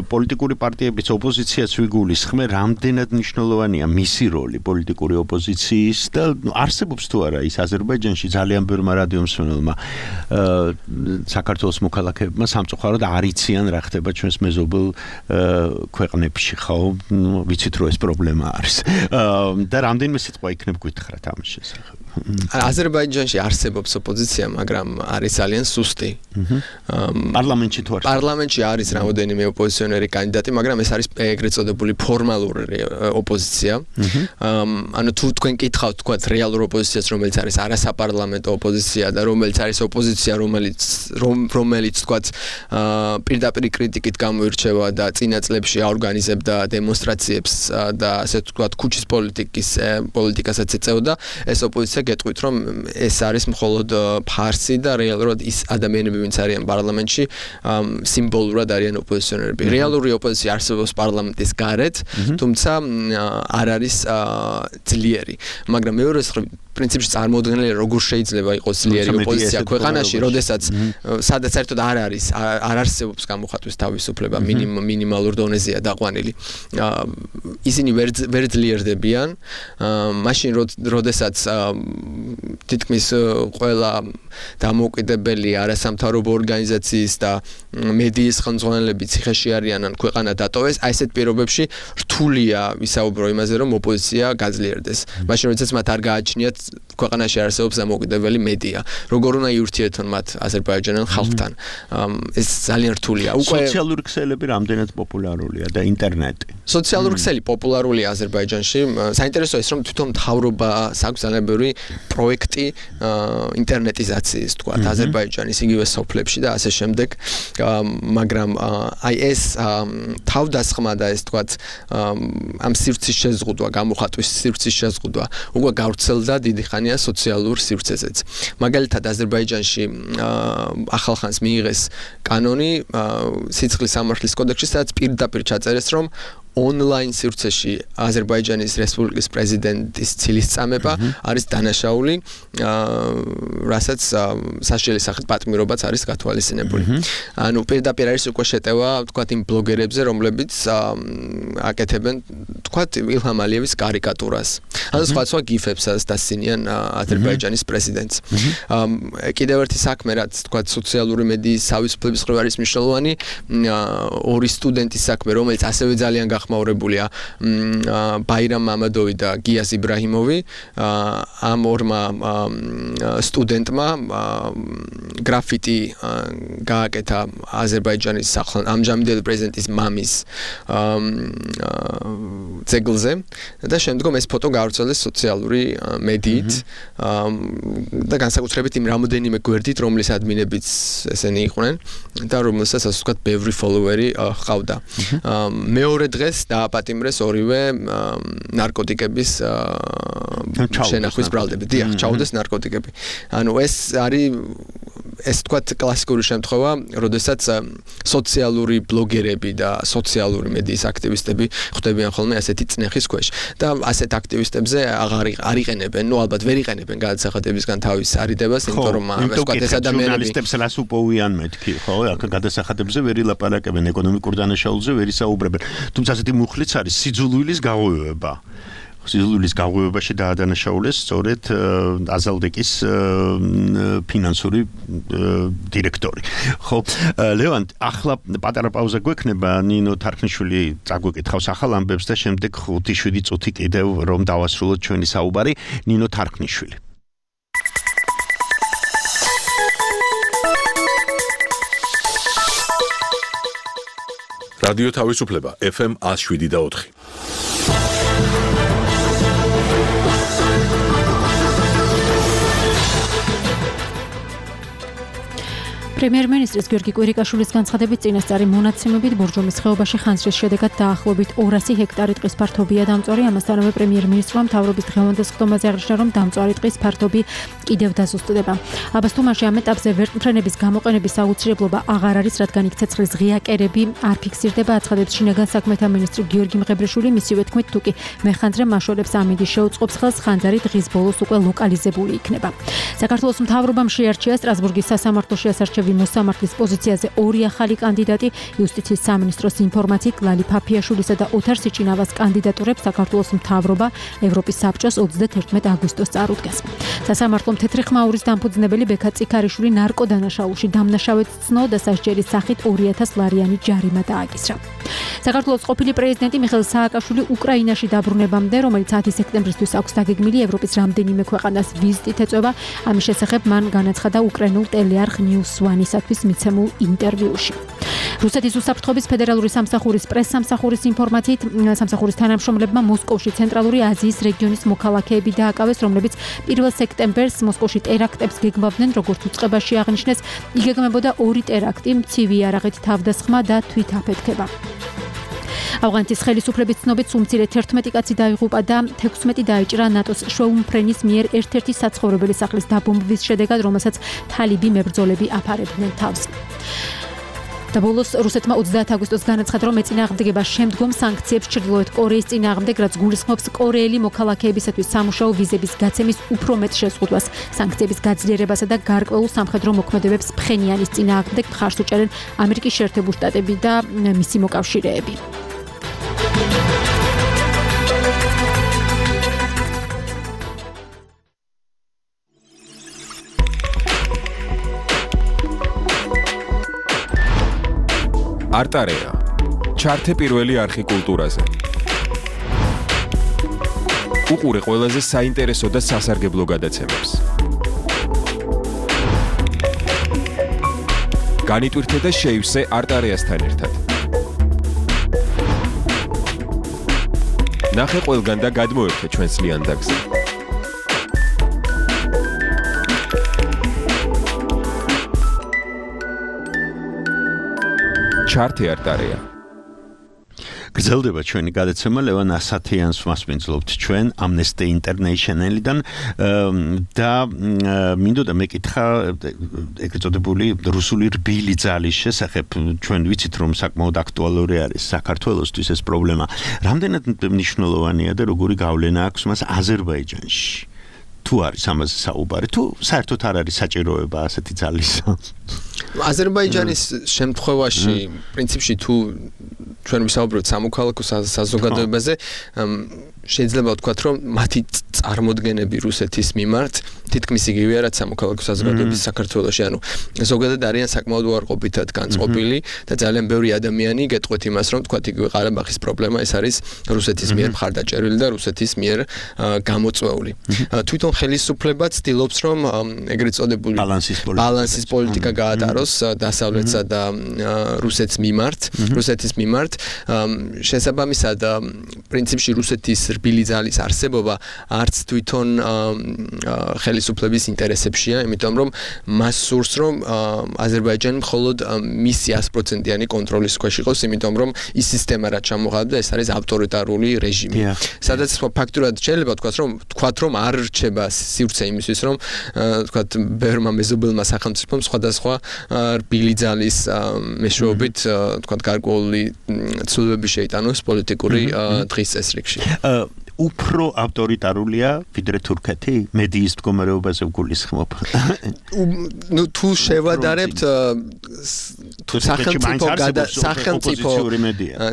S6: პოლიტიკური პარტიების ოპოზიციაც ვიგულისხმე, რამდენად მნიშვნელოვანია მისი როლი პოლიტიკური ოპოზიციის და არსებობს თუ არა ის აზერბაიჯანში ძალიან ბევრმა რადიომსმენელმა საქართველოს მოქალაქეებმა სამწუხაროდ არ იციან რა ხდება ჩვენს მეზობელ ქვეყნებში, ხო? ვიცით რომ ეს პრობლემა არის. და რამდენიმე სიტყვა იქნებ გითხრათ ამის შესახებ.
S3: აზერბაიჯანში არსებობს ოპოზიცია, მაგრამ არის ძალიან სუსტი.
S6: პარლამენტში თუ არის?
S3: პარლამენტში არის რამოდენიმე ოპოზიციონერი კანდიდატი, მაგრამ ეს არის ეგრეთ წოდებული ფორმალური ოპოზიცია. ანუ თუ თქვენ კითხავთ, თქვათ რეალურ ოპოზიციას, რომელიც არის არასაპარლამენტო ოპოზიცია და რომელიც არის ოპოზიცია, რომელიც თქვათ პირდაპირ კრიტიკით გამოირჩევა და წინა წლებში აორგანიზებდა დემონსტრაციებს და ასე თქვათ ქუჩის პოლიტიკასაც ეწეოდა, ეს ოპოზიცია გეტყვით, რომ ეს არის მხოლოდ ფარსი და რეალურად ის ადამიანები, ვინც არიან პარლამენტში, სიმბოლურად არიან ოპოზიციონერები. რეალური ოპოზიცია არსებობს პარლამენტის გარეთ, თუმცა არ არის ძლიერი. მაგრამ მეორე პრინციპში წარმოუდგენელია, როგორ შეიძლება იყოს ძლიერი ოპოზიცია ქვეყანაში, როდესაც სადაც საერთოდ არ არსებობს გამოხატვის თავისუფლება, მინიმალურ დონეზეა დაყვანილი. ისინი ვერ ძლიერდებიან, მაშინ როდესაც თითქმის ყველა დამოუკიდებელი არასამთავრობო ორგანიზაციის და მედიის ხელმძღვანელები ციხეში არიან ან ქვეყანა დატოვეს, აი ესეთ პირობებში რთულია ვისაუბრო იმაზე, რომ ოპოზიცია გაძლიერდეს. მაშინ როდესაც მათ არ გააჩნიათ ქვეყანაში არსებობს დამოუკიდებელი მედია. როგორ უნდა იურთიეთონ მათ აზერბაიჯანელ ხალხთან? ეს ძალიან რთულია.
S6: სოციალური ქსელები რამდენად პოპულარულია და ინტერნეტი.
S3: სოციალური ქსელი პოპულარულია აზერბაიჯანში. საინტერესოა ის, რომ თვითონ მთავრობას აქვს ძალიან ბევრი პროექტი ინტერნეტიზაციის, თქვა, აზერბაიჯანის იგივე სოფლებში და ასე შემდეგ. მაგრამ აი ეს თავდასხმა და ეს თქვა ამ სივრცის შეზღუდვა, გამოხატვის სივრცის შეზღუდვა უკვე გავრცელდა დიდი ხანია სოციალურ სივრცეზეც. მაგალითად აზერბაიჯანში ახალხანს მიიღეს კანონი სიცხლის სამართლის კოდექსში, სადაც პირდაპირ ჩაწერეს, რომ ონლაინ სივრცეში აზერბაიჯანის რესპუბლიკის პრეზიდენტის ცილისწამება არის დანაშაული, რასაც საშიელი სახით პატიმრობაც არის გათვალისწინებული. ანუ პირდაპირ არის უკვე შეტევა, თქვათ, იმ ბლოგერებზე, რომლებიც აკეთებენ, თქვათ, ილჰამ ალიევის კარიკატურას. ანუ სხვა გიფებსაც დასცინიან აზერბაიჯანის პრეზიდენტს. კიდევ ერთი საქმე, რაც თქვათ, სოციალური მედიის თავისუფლების მხრივ არის მნიშვნელოვანი, ორი სტუდენტის საქმე, რომელიც ასევე ძალიან გახმაურებულია, ბაირამ მამადოვი და გიას იბრაჰიმოვი, ამ ორმა სტუდენტმა გრაფიტი გააკეთა აზერბაიჯანის ამჟამინდელი პრეზიდენტის მამის ძეგლზე და შემდგომ ეს ფოტო გავრცელდეს სოციალური მედიით და განსაკუთრებით იმ რამოდენიმე გვერდით, რომლის ადმინებიც ესენი იყვნენ და რომელსაც ასე ვთქვათ, ბევრი ფოლოვერი ჰყავდა. მეორე დღეს დააპატიმრეს ორივე ნარკოტიკების შენახვის ბრალდები. დიახ, ჩაუდეს ნარკოტიკები. ანუ ეს არის
S5: ეს თქვათ კლასიკური შემთხვევა, როდესაც სოციალური ბლოგერები და სოციალური მედიის აქტივისტები ხვდებიან ხოლმე ასეთი წნეხის ქვეშ და ასეთ აქტივისტებზე არ იყენებენ, ნუ ალბათ ვერ იყენებენ გადასახადებისგან თავის არიდებას, იმიტომ რომ ვთქვათ ეს ადამიანები
S6: ჟურნალისტებს რას უპოვიან მეთქი, ხო? აქ გადასახადებზე ვერ ილაპარაკებენ, ეკონომიკურ დანაშაულზე ვერ ისაუბრებენ. თუმცა ასეთი მუხლიც არის სიძულვილის გაღვივება. სიძულვილის გაღვივებაში დაადანაშაულეს სწორედ აზალდეკის ფინანსური დირექტორი. ხო, ლევან, ახლა პატარა პაუზა გვექნება, ნინო თარხნიშვილი წაგვეკითხავს ახალ ამბებს და შემდეგ 5-7 წუთი კიდევ რომ დავასრულოთ ჩვენი საუბარი, ნინო თარხნიშვილი.
S1: რადიო თავისუფლება FM 107.4.
S7: პრემიერ-მინისტრის გიორგი კვირიკაშვილის განცხადებით წინასწარი მონაცემებით ბორჯომის ხეობაში ხანძრის შედეგად დაახლოებით 200 ჰექტარი ტყის ფართობია დამწვარი. ამასთანავე პრემიერ-მინისტრმა მთავრობის დღევანდელ სხდომაზე აღნიშნა, რომ დამწვარი ტყის ფართობი კიდევ დაზუსტდება. აბას თუმანში ამ ეტაპზე ვერტმფრენების გამოყენების აუცილებლობა აღარ არის, რადგან იქ ცეცხლის ღია კერები არ ფიქსირდება, აცხადებს შინაგან საქმეთა მინისტრი გიორგი მღებრიშვილი. მისივე თქმით, თუკი მეხანძრე მაშორებს ამინდის შეუწყობს ხელს, ხანძარი დღის ბოლოს უკვე ლოკალიზებული იქნება. საქართველოს მთავრობამ შეარჩია სტრასბურგის სასამართლოში ასარჩევი მოსამართლის პოზიციაზე 2 ახალი კანდიდატი. იუსტიციის სამინისტროს ინფორმაციით ლალი ფაფიაშვილისა და ოთარ სიჩინავას კანდიდატურებს საქართველოს მთავრობა ევროპის საბჭოს 31 აგვისტოს წარუდგეს. სასამართლომ თეთრი ხმაურის დამფუძნებელი ბექა წიქარიშვილი ნარკოდანაშაულში დამნაშავედ ცნო და სასჯელის სახით 2000 ლარიანი ჯარიმა დააკისრა. საქართველოს ყოფილი პრეზიდენტი მიხეილ სააკაშვილი უკრაინაში დაბრუნებამდე, რომელიც 10 სექტემბრისთვის აქვს დაგეგმილი ევროპის რამდენიმე ქვეყანას ვიზიტით ეწევა, ამის შესახებ მან განაცხადა უკრაინულ ტელეარხ News One-ისათვის მიცემულ ინტერვიუში. რუსეთის უსაფრთხოების ფედერალური სამსახურის პრესსამსახურის ინფორმაციით, სამსახურის თანამშრომლებმა მოსკოვში ცენტრალური აზიის რეგიონის მოქალაქეები დააკავეს, რომლებიც 1 სექტემბერს მოსკოვში ტერაქტებს გეგმავდნენ, როგორც უწყებაში აღნიშნეს, იგეგმებოდა 2 ტერაქტი, მცივი იარაღით თავდასხმა და თვითაფეთქება. ავღანეთის ხელისუფლების ცნობით უმცირე 11 კაცი დაიღუპა და 16 დაიჭრა ნატოს შვეუმფრენის მიერ ერთ-ერთი საცხოვრებელი სახლის დაბომბვის შედეგად, რომელსაც თალიბი მებრძოლები აფარებდნენ თავს. და ბოლოს რუსეთმა 30 აგვისტოს განაცხადა, რომ ეწინააღმდეგება შემდგომ სანქციებს ჩრდილოეთ კორეის წინააღმდეგ, რაც გულისხმობს კორეელი მოქალაქეებისათვის სამუშაო ვიზების გაცემის უფრო მეტ შეზღუდვას. სანქციების გაძლიერებასა და გარკვეულ სამხედრო მოქმედებებს ფხენიანის წინააღმდეგ მხარს უჭერენ ამერიკის შეერთებული შტატები და მისი მოკავშირეები.
S8: არტარეა. ჩართე პირველი არხი კულტურაზე. უყურე ყველაზე საინტერესო და სასარგებლო გადაცემებს. განიტვირთე და შეივსე არტარეასთან ერთად. ნახე ყველგან და გადმოერთე ჩვენს ლიანდაგზე. ჩართე არტარეა.
S6: გრძელდება ჩვენი გადაცემა, ლევან ასათიანს მასპინძლობთ ჩვენ Amnesty International-დან და მინდოდა მეკითხა ეგრეთ წოდებული რუსული რბილი ძალის შესახებ. ჩვენ ვიცით, რომ საკმაოდ აქტუალური არის საქართველოსთვის ეს პრობლემა. რამდენად მნიშვნელოვანია და როგორი გავლენა აქვს მას აზერბაიჯანში? თუ არის ამაზე საუბარი, თუ საერთოდ არ არის საჭიროება ასეთი ძალისა?
S5: აზერბაიჯანის შემთხვევაში პრინციპში თუ ჩვენ ვისაუბრებთ სამოქალაქო საზოგადოებაზე, შეიძლება ვთქვათ, რომ მათი წარმოდგენები რუსეთის მიმართ თითქმის იგივეა, რაც სამოქალაქო საზოგადოების საქართველოში, ანუ ზოგადად არიან საკმაოდ უარყოფითად განწყობილი და ძალიან ბევრი ადამიანი გეტყვით იმას, რომ თქვათ იგივე ყარაბაღის პრობლემა ეს არის რუსეთის მიერ მხარდაჭერილი და რუსეთის მიერ გამოწვეული. თვითონ ხელისუფლება ცდილობს, რომ ეგრეთ წოდებული ბალანსის პოლიტიკა გაატაროს დასავლეთსა და რუსეთის მიმართ შესაბამისად პრინციპში რუსეთის რბილი ძალის არსებობა არც თვითონ ხელისუფლების ინტერესებშია, იმიტომ რომ მას სურს რომ აზერბაიჯანი მხოლოდ მისი 100%-იანი კონტროლის ქვეშ იყოს, იმიტომ რომ ის სისტემა რაც ჩამოყალიბდა, ეს არის ავტორიტარული რეჟიმი. სადაც ფაქტურად შეიძლება თქვათ რომ არ რჩება სივრცე იმისთვის, რომ თქვათ ბევრმა მეზობელმა სახელმწიფომ სხვადასხვა რბილი ძალის მეშვეობით თქვათ გარკვეული ცვლილებები შეიტანოს პოლიტიკური დღის წესრიგში.
S6: უფრო ავტორიტარულია ვიდრე თურქეთი მედიის მდგომარეობაზე ვგულისხმობ.
S5: თუ შევადარებთ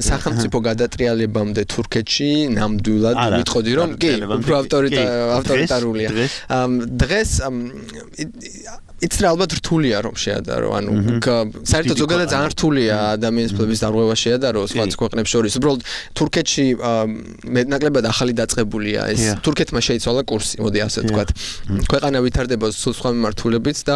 S5: სახელმწიფო გადატრიალებამდე თურქეთში ნამდვილად ვიტყოდი რომ კი უფრო ავტორიტარულია. დღეს იც ალბათ რთულია რომ შეადარო, ანუ საერთოდ ზოგადად ძალიან რთულია ადამიანის ფლების დარღვევა შეადარო სხვა ქვეყნებს შორის. უბრალოდ თურქეთში მეტნაკლებად ახალი დაწყებულია ეს. თურქეთმა შეიცვალა კურსი, მოდი ასე ვთქვათ. ქვეყანა ვითარდება სულ სხვა მიმართულებით და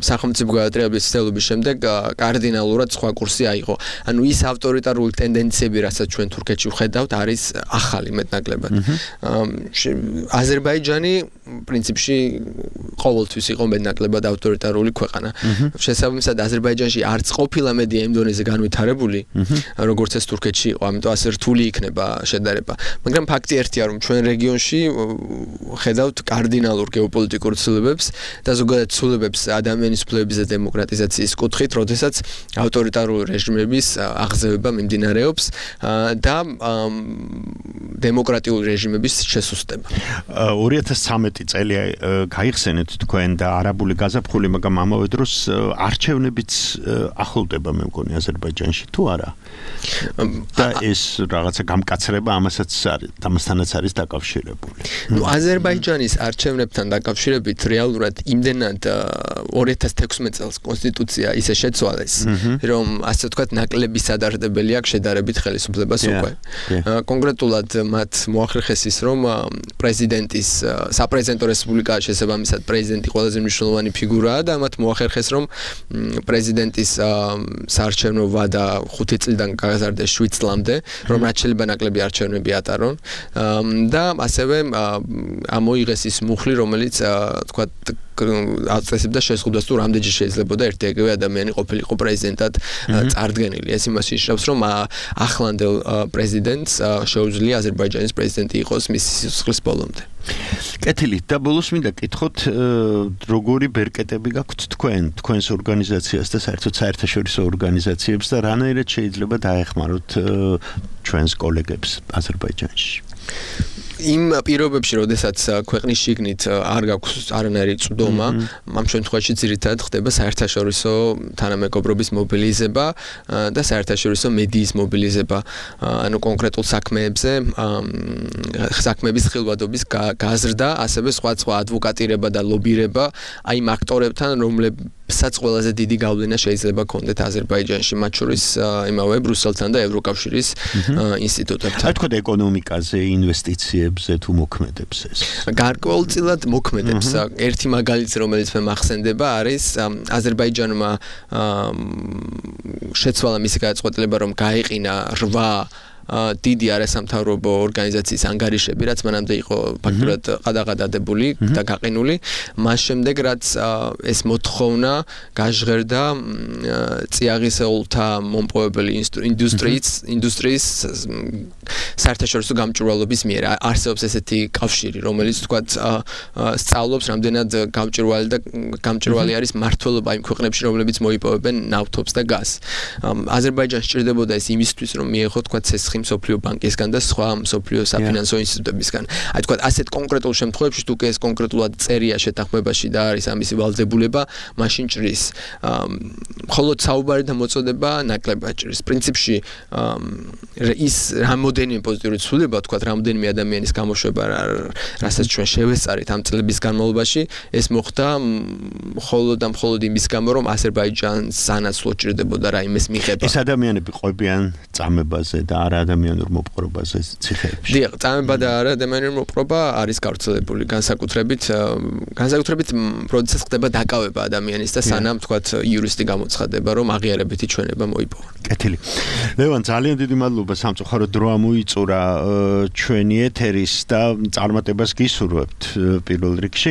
S5: სახელმწიფო გადატრიალების ცდილობის შემდეგ კარდინალურად სხვა კურსი აიღო. ანუ ის ავტორიტარული ტენდენციები, რასაც ჩვენ თურქეთში ვხედავთ, არის ახალი მეტნაკლებად. აზერბაიჯანი პრინციპში ყოველთვის იყო მეტნაკლებად ავტორიტარული ქვეყანა. შესაბამისად აზერბაიჯანში არც ყოფილა მედია იმ დონეზე განვითარებული, როგორც ეს თურქეთში იყო, ამიტომ ასე რთული იქნება შედარება. მაგრამ ფაქტი ერთია, რომ ჩვენ რეგიონში ხედავთ კარდინალურ გეოპოლიტიკურ ცვლილებებს და ზოგადად ცვლილებებს ადამიანის უფლებების და დემოკრატიზაციის კუთხით, როდესაც ავტორიტარული რეჟიმების აღზევება მიმდინარეობს და დემოკრატიული რეჟიმების შესუსტება.
S6: 2013 წელი გაიხსენეთ თქვენ და არაბული გაზაფხული, მაგრამ ამავე დროს არჩევნებიც ახლოვდება მე მგონი აზერბაიჯანში თუ არა? და ეს რაღაცა გამკაცრება ამასთანაც არის დაკავშირებული.
S5: აზერბაიჯანის არჩევნებთან დაკავშირებით რეალურად იმდენად 2016 წელს კონსტიტუცია ისე შეცვალეს, რომ ასე ვთქვათ ნაკლები სადარდებელი აქვს შედარებით ხელისუფლებას უკვე. კონკრეტულად მათ მოახერხეს ის, რომ პრეზიდენტის საპრეზიდენტო რესპუბლიკაა შესაბამისად პრეზიდენტი ყველაზე მნიშვნელოვანი ფიგურაა და მათ მოახერხეს, რომ პრეზიდენტის საარჩევნო ვადა 5 წლიდან გაგაზარდეს 7 წლამდე, რომ რაც შეიძლება ნაკლები არჩევნები ატარონ და ასევე ამოიღეს ის მუხლი, რომელიც თქვათ აწესებდა შეზღუდვას თუ რამდენჯერ შეიძლებოდა ერთი-ეგრევე ადამიანი ყოფილიყო პრეზიდენტად წარდგენილი. ეს იმას ნიშნავს, რომ ახლანდელ პრეზიდენტს შეუძლია აზერბაიჯანის პრეზიდენტი იყოს მისი სიცოცხლის ბოლომდე.
S6: კეთილი, და ბოლოს მინდა კითხოთ, როგორი ბერკეტები გაქვთ თქვენს ორგანიზაციას და საერთოდ საერთაშორისო ორგანიზაციებს და რანაირად შეიძლება დაეხმაროთ ჩვენს კოლეგებს აზერბაიჯანში?
S5: იმ პირობებში, როდესაც ქვეყნის შიგნით არ გაქვს არანაირი წვდომა, ამ შემთხვევაში ძირითადად ხდება საერთაშორისო თანამეგობრობის მობილიზება და საერთაშორისო მედიის მობილიზება, ანუ კონკრეტულ საქმეებზე, საქმეების ხილვადობის გაზრდა, ასევე სხვა ადვოკატირება და ლობირება აი იმ აქტორებთან, რომლებსაც ყველაზე დიდი გავლენა შეიძლება კონდეთ აზერბაიჯანში, მათ შორის იმავე ბრუსელთან და ევროკავშირის ინსტიტუტებთან.
S6: რა თქმა უნდა, ეკონომიკაზე, ინვესტიციებზე თუ მოქმედებს ეს?
S5: გარკვეულწილად მოქმედებს. ერთი მაგალითი, რომელიც მე მახსენდება, არის აზერბაიჯანმა შეცვალა მისი გადაწყვეტილება, რომ გაეყინა 8 დიდი არასამთავრობო ორგანიზაციის ანგარიშები, რაც მანამდე იყო ფაქტურად ყადაღადადებული და გაყინული. მას შემდეგ, რაც ეს მოთხოვნა გაჟღერდა წიაღისეულთა მომპოვებელი ინდუსტრიის საერთაშორისო გამჭვირვალობის მიერ. არსებობს ესეთი კავშირი, რომელიც თქვათ სწავლობს რამდენად გამჭვირვალი არის მმართველობა იმ ქვეყნებში, რომლებიც მოიპოვებენ ნავთობს და გაზს. აზერბაიჯანს სჭირდებოდა ეს იმისთვის, რომ მიეღო თქვათ ცეცხლი მსოფლიო ბანკისგან და სხვა მსოფლიო საფინანსო ინსტიტუტებისგან. აი თქვათ ასეთ კონკრეტულ შემთხვევებში თუ კი ეს კონკრეტულად წერია შეთანხმებაში და არის ამისი ვალდებულება, მაშინ ჭრის. მხოლოდ საუბარი და მოწოდება ნაკლებად ჭრის. პრინციპში ის რამოდენიმე პოზიტიური ცვლილება, თქვათ რამოდენიმე ადამიანის გამოშვება, რასაც ჩვენ შევესწარით ამ წლების განმავლობაში, ეს მოხდა მხოლოდ იმის გამო, რომ აზერბაიჯანს სანაცვლოდ ჭირდებოდა რაიმეს მიღება.
S6: ეს ადამიანები ყვებიან წამებაზე და არა ადამიანურ მოპყრობაზე ციხეებში.
S5: დიახ, წამება და არა ადამიანურ მოპყრობა არის გავრცელებული განსაკუთრებით, როდესაც ხდება დაკავება ადამიანის და სანამ თქვათ იურისტი გამოცხადება, რომ აღიარებითი ჩვენება მოიპოვა.
S6: კეთილი. ლევან, ძალიან დიდი მადლობა სამწუხაროდ დრო ამოიწურა ჩვენი ეთერის და წარმატებას გისურვებთ პირველ რიგში.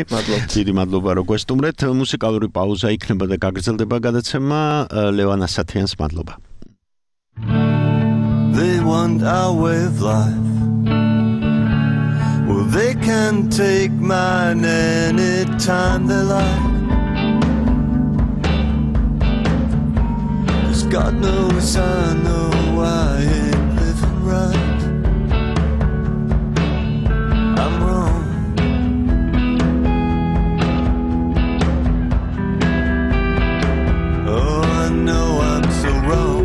S6: დიდი მადლობა რომ გვესტუმრეთ. მუსიკალური პაუზა იქნება და გაგრძელდება გადაცემა. ლევან ასათიანს მადლობა.
S9: They want our way of life. Well, they can take mine anytime they like. 'Cause God knows I know I ain't living right. I'm wrong. Oh, I know I'm so wrong.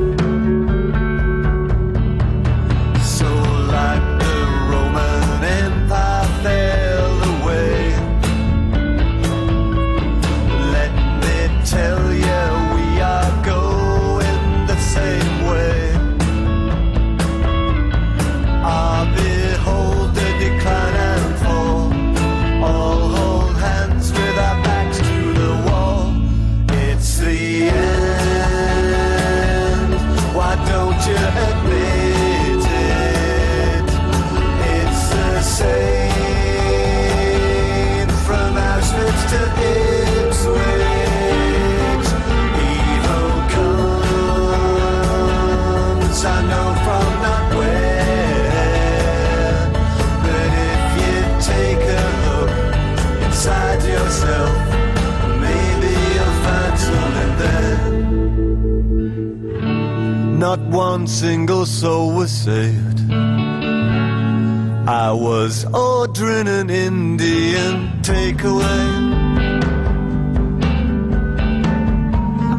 S9: Tell you we are going the same way. I behold the decline and fall. All hold hands with our backs to the wall. It's the end. Why don't you admit it? It's the same from Auschwitz to Ipswich. I know from not where, but if you take a look inside yourself, maybe you'll find something there. Not one single soul was saved. I was ordering an Indian takeaway.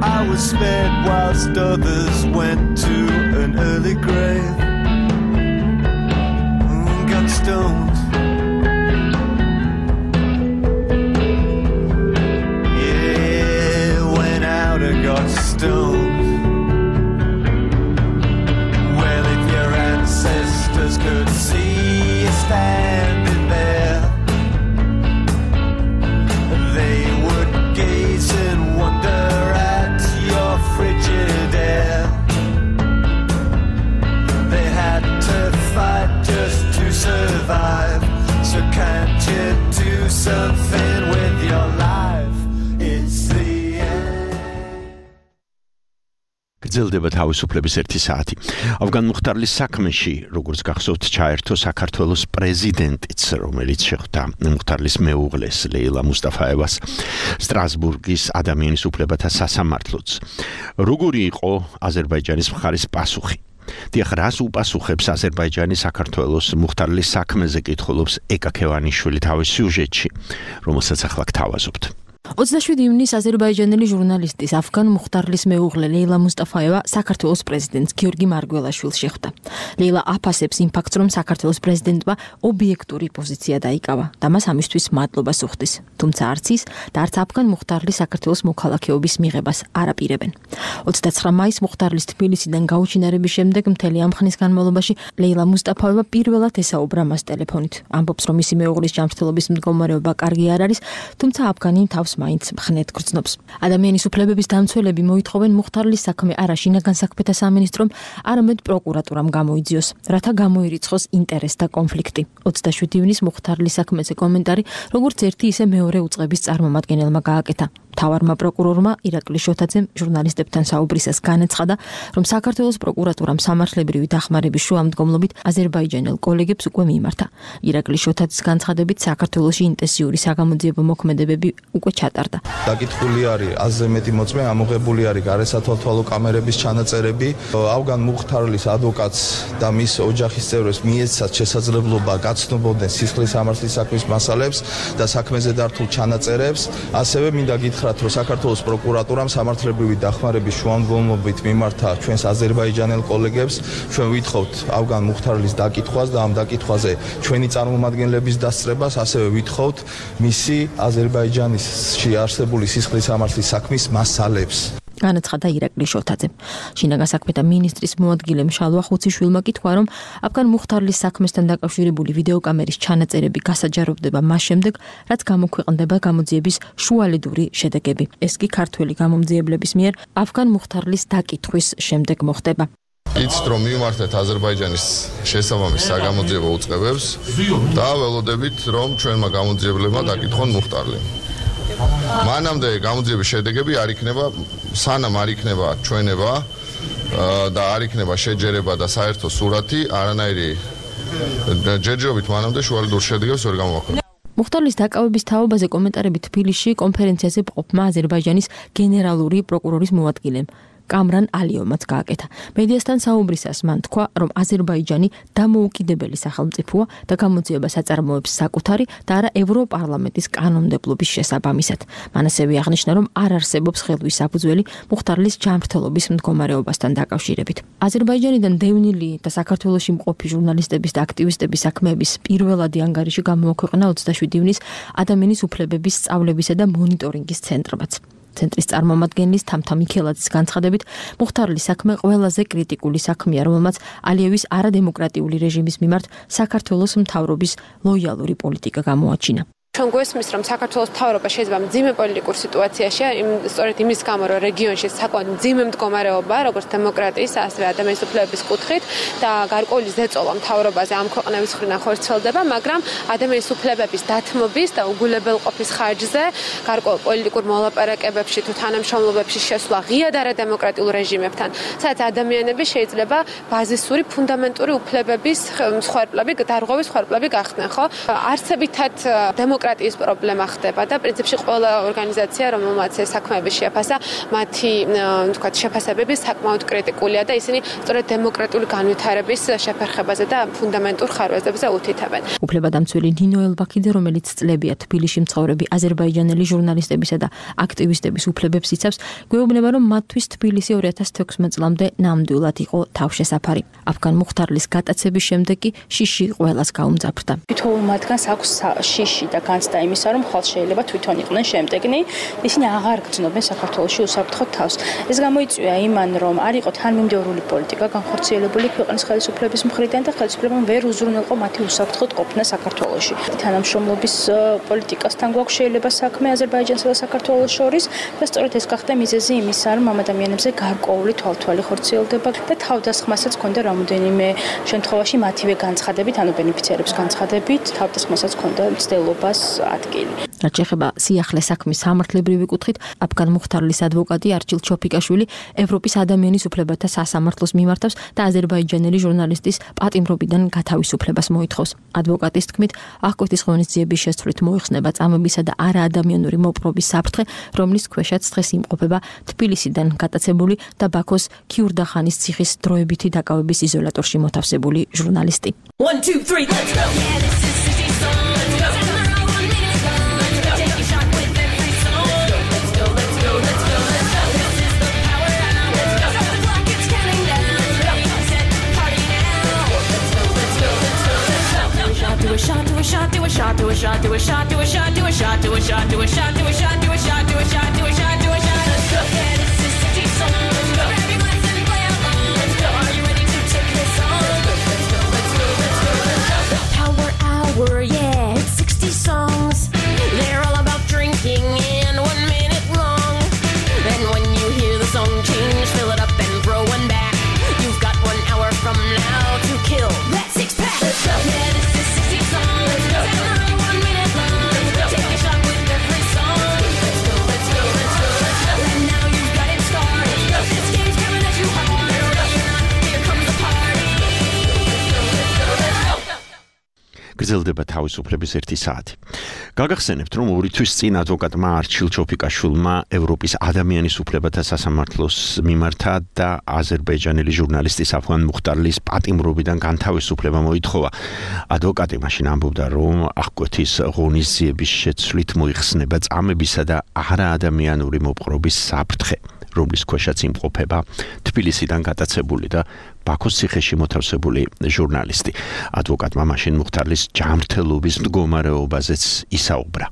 S9: I was spared whilst others went to an early grave. Got stoned. Yeah, went out and got stoned. Well, if your ancestors could see you standing there, they would gaze in wonder at your frigid air. They had to fight just to survive. So can't you do something with your life? It's the end.
S6: გრძელდება თავისუფლების 1 საათი. ავგან მუხტარლის საქმეში, როგორც გახსოვთ, ჩაერთო საქართველოს პრეზიდენტიც, რომელიც შეხვდა მუხტარლის მეუღლეს ლეილა მუსტაფაევას სტრასბურგის ადამიანის უფლებათა სასამართლოც. როგორი იყო აზერბაიჯანის მხარის პასუხი? დიახ, რას უპასუხებს აზერბაიჯანი საქართველოს მუხტარლის საქმეზე კითხულობს ეკა ქევანიშვილი თავის სიუჟეტში, რომელსაც ახლა გთავაზობთ.
S10: 27 ივნისს აზერბაიჯანელი ჟურნალისტის ავგან მუხტარლის მეუღლე ლეილა მუსტაფაევა საქართველოს პრეზიდენტს გიორგი მარგველაშვილს შეხვდა. ლეილა აფასებს იმ ფაქტს, რომ საქართველოს პრეზიდენტმა ობიექტური პოზიცია დაიკავა და მას ამისთვის მადლობას უხდის. თუმცა არც ის და არც ავგან მუხტარლის საქართველოს მოქალაქეობის მიღებას არ აპირებენ. 29 მაისს მუხტარლის თბილისიდან გაუჩინარების შემდეგ მთელი ამ ხნის განმავლობაში ლეილა მუსტაფაევა პირველად ესაუბრა მას ტელეფონით. ამბობს, რომ მისი მეუღლის ჯანმრთელობის მდგომარეობა კარგი არ არის, თუმცა ავგანი თავს მაინც მხნედ გრძნობს. ადამიანის უფლებების დამცველები მოითხოვენ მუხტარლის საქმე არა შინაგან საქმეთა სამინისტრომ, არამედ პროკურატურამ გამოიძიოს, რათა გამოირიცხოს ინტერესთა კონფლიქტი. 27 ივნისს მუხტარლის საქმეზე კომენტარი, როგორც ერთი ისე მეორე უწყების წარმომადგენელმა გააკეთა. მთავარმა პროკურორმა ირაკლი შოთაძემ ჟურნალისტებთან საუბრისას განაცხადა, რომ საქართველოს პროკურატურამ სამართლებრივი დახმარების შუამდგომლობით აზერბაიჯანელ კოლეგებს უკვე მიიმართა. ირაკლი შოთაძის განცხადებით, საქართველოში ინტენსიური საგამოძიებო მოქმედებები უკვე ჩატარდა.
S11: დაკითხული არის აზზე მეტი მოწმე, ამოღებული არის გარესათვალთვალო კამერების ჩანაწერები. ავგან მუხტარლის ადვოკატს და მის ოჯახის წევრებს მიეცათ შესაძლებლობა გაცნობოდნენ სისხლის სამართლის საქმის მასალებს და საქმეზე დართულ ჩანაწერებს. ასევე მინდა გითხრათ, რომ საქართველოს პროკურატურამ სამართლებრივი დახმარების შუამდგომლობით მიმართა ჩვენს აზერბაიჯანელ კოლეგებს. ჩვენ ვითხოვთ ავგან მუხტარლის დაკითხვას და ამ დაკითხვაზე ჩვენი წარმომადგენლების დასწრებას, ასევე ვითხოვთ მისი აზერბაიჯანისში არსებული სისხლის სამართლის საქმის მასალებს.
S10: განაცხადა ირაკლი შოთაძემ. შინაგან საქმეთა მინისტრის მოადგილე მშალვა ხუციშვილმა კითხვა, რომ აფგან მუხთარლის საქმესთან დაკავშირებული ვიდეოკამერის ჩანაწერები გასაჯაროვდება მას შემდეგ, რაც გამოქვეყნდება გამოძიების შუალედური შედეგები. ეს კი ქართველი გამომძიებლების მიერ აფგან მუხთარლის დაკითხვის შემდეგ მოხდება.
S12: იცით რომ მიმართეთ აზერბაიჯანის შესაბამის საგამოძიებო უწყებებს და ველოდებით რომ ჩვენმა გამომძიებლებმა დაკითხონ მუხტარლი. მანამდე გამოძიების შედეგები არ იქნება, სანამ არ იქნება ჩვენება და არ იქნება შეჯერება და საერთო სურათი, არანაირი ჯერჯერობით მანამდე შუალედურ შედეგებს ვერ გამოვაქვეყნებთ.
S10: მუხტარლის დაკავების თაობაზე კომენტარები თბილისში კონფერენციაზე მყოფმა აზერბაიჯანის გენერალური პროკურორის მოადგილემ კამრან ალიოვმაც გააკეთა. მედიასთან საუბრისას მან თქვა, რომ აზერბაიჯანი დამოუკიდებელი სახელმწიფოა და გამოძიებას აწარმოებს საკუთარი და არა ევროპარლამენტის კანონმდებლობის შესაბამისად. მან ასევე აღნიშნა, რომ არ არსებობს ხელვის საფუძველი მუხტარლის ჯანმრთელობის მდგომარეობასთან დაკავშირებით. აზერბაიჯანიდან დევნილი და საქართველოში მყოფი ჟურნალისტების და აქტივისტების საქმეების პირველადი ანგარიში გამოაქვეყნა 27 ივნის ადამიანის უფლებების სწავლებისა და მონიტორინგის ცენტრმაც. ცენტრის წარმომადგენლის თამთა მიქელაძის განცხადებით, მუხთარლის საქმე ყველაზე კრიტიკული საქმეა, რომელმაც ალიევის არადემოკრატიული რეჟიმის მიმართ საქართველოს მთავრობის ლოიალური პოლიტიკა გამოაჩინა.
S13: ჩვენ გვესმის, რომ საქართველოს მთავრობა შეიძლება მძიმე პოლიტიკურ სიტუაციაშია, სწორედ იმის გამო, რომ რეგიონში საკმაოდ მძიმე მდგომარეობა, როგორც დემოკრატიის, ასევე ადამიანის უფლებების კუთხით და გარკვეული ზეწოლა მთავრობაზე ამ ქვეყნების მხრიდან ხორციელდება, მაგრამ ადამიანის უფლებების დათმობის და უგულებელყოფის ხარჯზე, გარკვეულ პოლიტიკურ მოლაპარაკებებში თუ თანამშრომლობებში შესვლა ღიად არადემოკრატიულ რეჟიმებთან, სადაც ადამიანები შეიძლება ბაზისური ფუნდამენტური უფლებების მსხვერპლები, დარღვევის მსხვერპლები გახდნენ, ხო? არსებითად დემოკრატიის პრობლემა ხდება და პრინციპში ყველა ორგანიზაცია, რომელმაც ეს საქმეები შეაფასა, მათი თქვათ შეფასებები საკმაოდ კრიტიკულია და ისინი სწორედ დემოკრატიული განვითარების შეფერხებაზე და ფუნდამენტურ ხარვეზებზე უთითებენ.
S10: უფლებადამცველი ნინო ელბაქიძე, რომელიც წლებია თბილისში მცხოვრები აზერბაიჯანელი ჟურნალისტებისა და აქტივისტების უფლებებს იცავს, გვეუბნება, რომ მათთვის თბილისი 2016 წლამდე ნამდვილად იყო თავშესაფარი. აფგან მუხთარლის გატაცების შემდეგ კი შიში ყველას გაუმძაფრდა.
S14: თითოეულ მათგანს აქვს შიში და განცდა იმისა, რომ ხალხ შეიძლება თვითონ იყვნენ შემდეგნი, ისინი აღარ გრძნობენ საქართველოში უსაფრთხო თავს. ეს გამოიწვია იმან, რომ არ იყო თანმიმდევრული პოლიტიკა განხორციელებული ქვეყნის ხელისუფლების მხრიდან და ხელისუფლებამ ვერ უზრუნველყო მათი უსაფრთხოდ ყოფნა საქართველოში. თანამშრომლობის პოლიტიკასთან გვაქვს შეიძლება საქმე აზერბაიჯანსა და საქართველოს შორის და სწორედ ეს გახდა მიზეზი იმისა, რომ ამ ადამიანებზე გარკვეული თვალთვალი ხორციელდება და თავდასხმასაც ჰქონდა რამოდენიმე შემთხვევაში მათივე განცხადებით, ანუ ბენეფიციარების განცხადებით, თავდასხმასაც ჰქონდა მცდელობას ადგილი.
S10: რაც შეეხება სიახლე საქმის სამართლებრივი კუთხით, აფგან მუხთარლის ადვოკატი არჩილ ჩოფიკაშვილი ევროპის ადამიანის უფლებათა სასამართლოს მიმართავს და აზერბაიჯანელი ჟურნალისტის პატიმრობიდან გათავისუფლებას მოითხოვს. ადვოკატის თქმით, აღკვეთის ღონისძიების შესწავლით მოიხსნება წამებისა და არაადამიანური მოპყრობის საფრთხე, რომლის ქვეშაც დღეს იმყოფება თბილისიდან გატაცებული და ბაქოს ქიურდახანის ციხის დროებითი დაკავების იზოლატორში მოთავსებული ჟურნალისტი.
S4: 1 2 3 let's go. Yeah, this is City Song. Let's go. Take a shot with every song. Let's go, let's go, let's go, let's go. This is the power hour. Let's go. The clock is counting down. Ready, set, party now. Let's go, let's go, let's go, let's go. Do a shot, do a shot, do a shot, do a shot, do a shot, do a shot, do a shot, do a shot, do a shot, do a shot, do a shot, do a shot, do a shot, do a shot, do a shot. Let's go. Yeah, this is City Song. Let's go. Grab your glass and play along. Let's go. Are you ready to take this on? Let's go, let's go, let's go, let's go. Power hour, yeah, it's 60 songs. They're all about drinking and 1 minute long. And when you hear the song change, fill it up and throw one back. You've got 1 hour from now to kill that six pack. Let's go. Yeah, this is 60 songs. Let's go. And they're all 1 minute long. Let's go. Take a shot with every song. Let's go, let's go, let's go, let's go. And now you've got it started. Let's go. This game's coming at you hard. Ready or not, here comes the party. Let's go, let's go, let's go.
S6: გრძელდება თავისუფლების 1 საათი. გაგახსენებთ, რომ 2 თვის წინ ადვოკატმა არჩილ ჩოფიკაშვილმა ევროპის ადამიანის უფლებათა სასამართლოს მიმართა და აზერბაიჯანელი ჟურნალისტის აფგან მუხტარლის პატიმრობიდან განთავისუფლება მოითხოვა. ადვოკატი მაშინ ამბობდა, რომ აღკვეთის ღონისძიების შეცვლით მოიხსნება წამებისა და არაადამიანური მოპყრობის საფრთხე. რომლის ქვეშაც იმყოფება თბილისიდან გატაცებული და ბაქოს ციხეში მოთავსებული ჟურნალისტი. ადვოკატმა მაშინ მუხთარლის ჯანმრთელობის მდგომარეობაზეც ისაუბრა.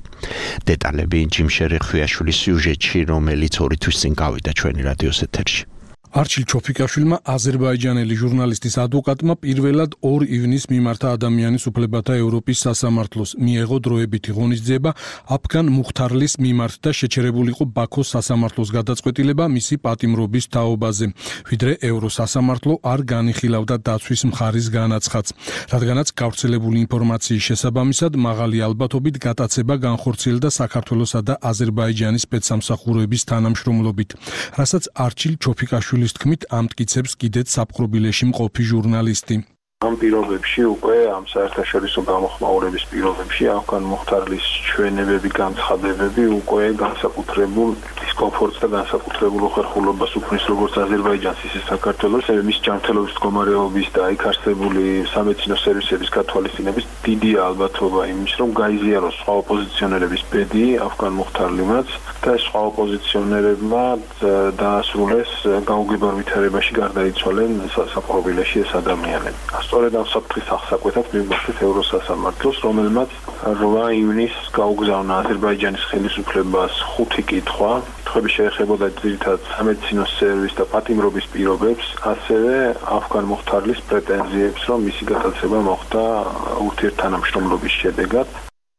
S6: დეტალები ჯიმშერე ხვიაშვილის სიუჟეტში, რომელიც 2 თვის წინ გავიდა ჩვენი რადიოს ეთერში.
S15: არჩილ ჩოფიკაშვილმა აზერბაიჯანელი ჟურნალისტის ადვოკატმა პირველად 2 ივნისს მიმართა ადამიანის უფლებათა ევროპის სასამართლოს, მიიღო დროებითი ღონისძიება აფგან მუხთარლის მიმართ და შეჩერებულიყო ბაქოს სასამართლოს გადაწყვეტილება მისი პატიმრობის თაობაზე, ვიდრე ევროსასამართლო არ განიხილავდა დაცვის მხარის განაცხადს, რადგანაც გავრცელებული ინფორმაციის შესაბამისად მაღალი ალბათობით გატაცება განხორციელდა საქართველოსა და აზერბაიჯანის სპეცსამსახურების თანამშრომლობით, რასაც არჩილ ჩოფიკაშვილი თქმით ამტკიცებს კიდეც საფხრობილეში მყოფი ჟურნალისტი.
S16: ამ პირობებში უკვე ამ საერთაშორისო გამოხმაურების პირობებში აფგან მუხთარლის ჩვენებები, განცხადებები უკვე განსაკუთრებულ დისკომფორტს და განსაკუთრებულ უხერხულობას უქმნის როგორც აზერბაიჯანს, ისე საქართველოს, მის ჯანმრთელობის მდგომარეობის და იქ არსებული სამედიცინო სერვისების გათვალისწინების დიდი ალბათობა იმის, რომ გაიზიაროს სხვა ოპოზიციონერების ბედი აფგან მუხთარლიმაც და სხვა ოპოზიციონერებმა დაასრულეს გაუგებარ ვითარებაში გარდაიცვალნენ საფხრობილეში ეს ადამიანები. სწორედ ამ საფრთხის აღსაკვეთად მივმართეთ ევროსასამართლოს, რომელმაც 8 ივნისს გაუგზავნა აზერბაიჯანის ხელისუფლებას 5 კითხვა. კითხვები შეეხებოდა ძირითადად სამედიცინო სერვისს და პატიმრობის პირობებს, ასევე აფგან მუხთარლის პრეტენზიებს, რომ მისი გატაცება მოხდა ურთიერთთანამშრომლობის შედეგად.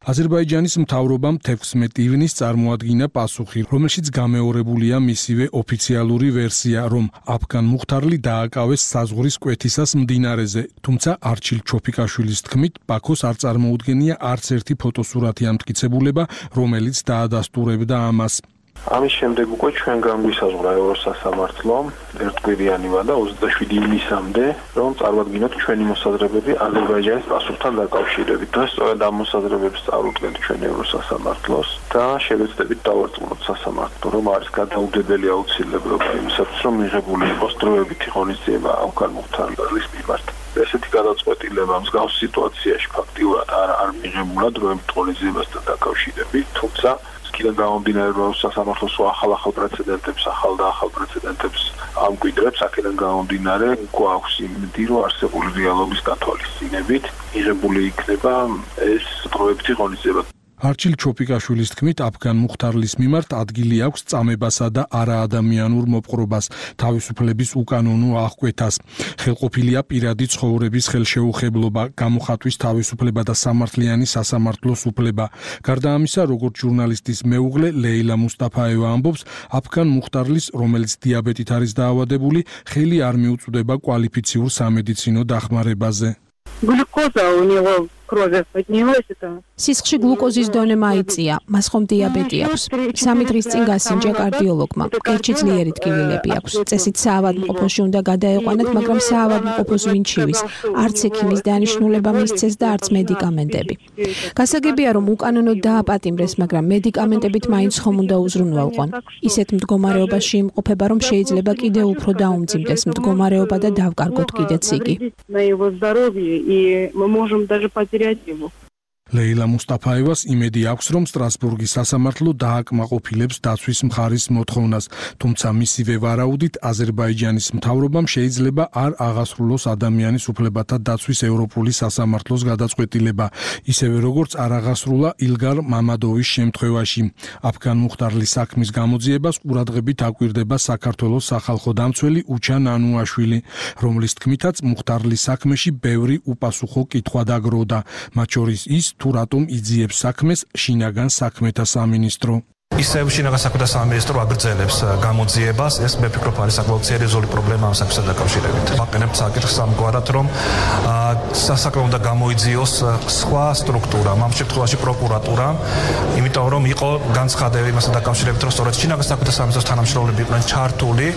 S15: აზერბაიჯანის მთავრობამ 16 ივნისს წარმოადგინა პასუხი, რომელშიც გამეორებულია მისივე ოფიციალური ვერსია, რომ აფგან მუხთარლი დააკავეს საზღვრის კვეთისას მდინარეზე, თუმცა არჩილ ჩოფიკაშვილის თქმით, ბაქოს არ წარმოუდგენია არც ერთი ფოტოსურათი ამტკიცებულება, რომელიც დაადასტურებდა ამას.
S16: ამის შემდეგ უკვე ჩვენ განგვისაზღვრა ევროსასამართლომ ერთკვირიანივა და 27 ივნისამდე, რომ წარმოადგინოთ ჩვენი მოსაზრებები აზერბაიჯანის პასუხთან დაკავშირებით. და სწორედ ამ მოსაზრებებს წარუდგენთ ჩვენ ევროსასამართლოს და შევეცდებით დავარწმუნოთ სასამართლო, რომ არის გადაუდებელი აუცილებლობა იმისათვის, რომ მიღებული იყოს დროებითი ღონისძიება აფგან მუხთარლის მიმართ. ესეთი გადაწყვეტილება მსგავს სიტუაციაში ფაქტიურად არ მიღებულა დროებითი ღონისძიებასთან დაკავშირებით, თუმცა კიდევ გამომდინარე რომ სასამართლოს ახალ პრეცედენტებს, ახალ პრეცედენტებს ამკვიდრებს, აქედან გამომდინარე გვაქვს იმედი, რომ არსებული რეალობის გათვალისწინებით მიღებული იქნება ეს დროებითი ღონისძიება.
S15: არჩილ ჩოფიკაშვილის თქმით, აფგან მუხთარლის მიმართ ადგილი აქვს წამებასა და არაადამიანურ მოპყრობას, თავისუფლების უკანონო აღკვეთას. ხელყოფილია პირადი ცხოვრების ხელშეუხებლობა, გამოხატვის თავისუფლება და სამართლიანი სასამართლოს უფლება. გარდა ამისა, როგორც ჟურნალისტის მეუღლე ლეილა მუსტაფაევა ამბობს, აფგან მუხთარლის, რომელიც დიაბეტით არის დაავადებული, ხელი არ მიუწვდება კვალიფიციურ სამედიცინო დახმარებაზე.
S17: Глюкоза у него крови поднялась это.
S10: სისხლში გლუკოზის დონე მაიწია, მას ხომ დიაბეტი აქვს. 3 დღის წინ გასინჯა კარდიოლოგმა. კერჩი ძლიერი ტკივილები აქვს. წესით საავადმყოფოში უნდა გადაეყვანათ, მაგრამ საავადმყოფოს ვინ ჩივის? არც ექიმის დანიშნულება მისცეს და არც მედიკამენტები. გასაგებია, რომ უკანონოდ დააპატიმრეს, მაგრამ მედიკამენტებით მაინც ხომ უნდა უზრუნველყონ. ისეთ მდგომარეობაში იმყოფება, რომ შეიძლება კიდევ უფრო დაუმძიმდეს მდგომარეობა და დავკარგოთ კიდეც იგი.
S17: На его здоровье, и мы можем даже потерять его.
S15: ლეილა მუსტაფაევას იმედი აქვს, რომ სტრასბურგის სასამართლო დააკმაყოფილებს დაცვის მხარის მოთხოვნას, თუმცა მისივე ვარაუდით აზერბაიჯანის მთავრობამ შეიძლება არ აღასრულოს ადამიანის უფლებათა დაცვის ევროპული სასამართლოს გადაწყვეტილება, ისევე როგორც არ აღასრულა ილგარ მამადოვის შემთხვევაში. აფგან მუხთარლის საქმის გამოძიებას ყურადღებით აკვირდება საქართველოს სახალხო დამცველი უჩა ნანუაშვილი, რომლის თქმითაც მუხთარლის საქმეში ბევრი უპასუხო კითხვა დაგროვდა, მათ შორის ის თუ რატომ იძიებს საქმეს შინაგან საქმეთა სამინისტრო.
S18: ისევ შინაგან საქმეთა სამინისტრო აგრძელებს გამოძიებას, ეს მე ფიქრობ არის საკმაოდ სერიოზული პრობლემა ამ საქმესთან დაკავშირებით. ვაყენებთ საკითხს ამგვარად, რომ სასაქმე უნდა გამოიძიოს სხვა სტრუქტურა, ამ შემთხვევაში პროკურატურა, იმიტომ რომ იყო განცხადები მასთან დაკავშირებით, რომ სწორედ შინაგან საქმეთა სამინისტროს თანამშრომლები იყვნენ ჩართული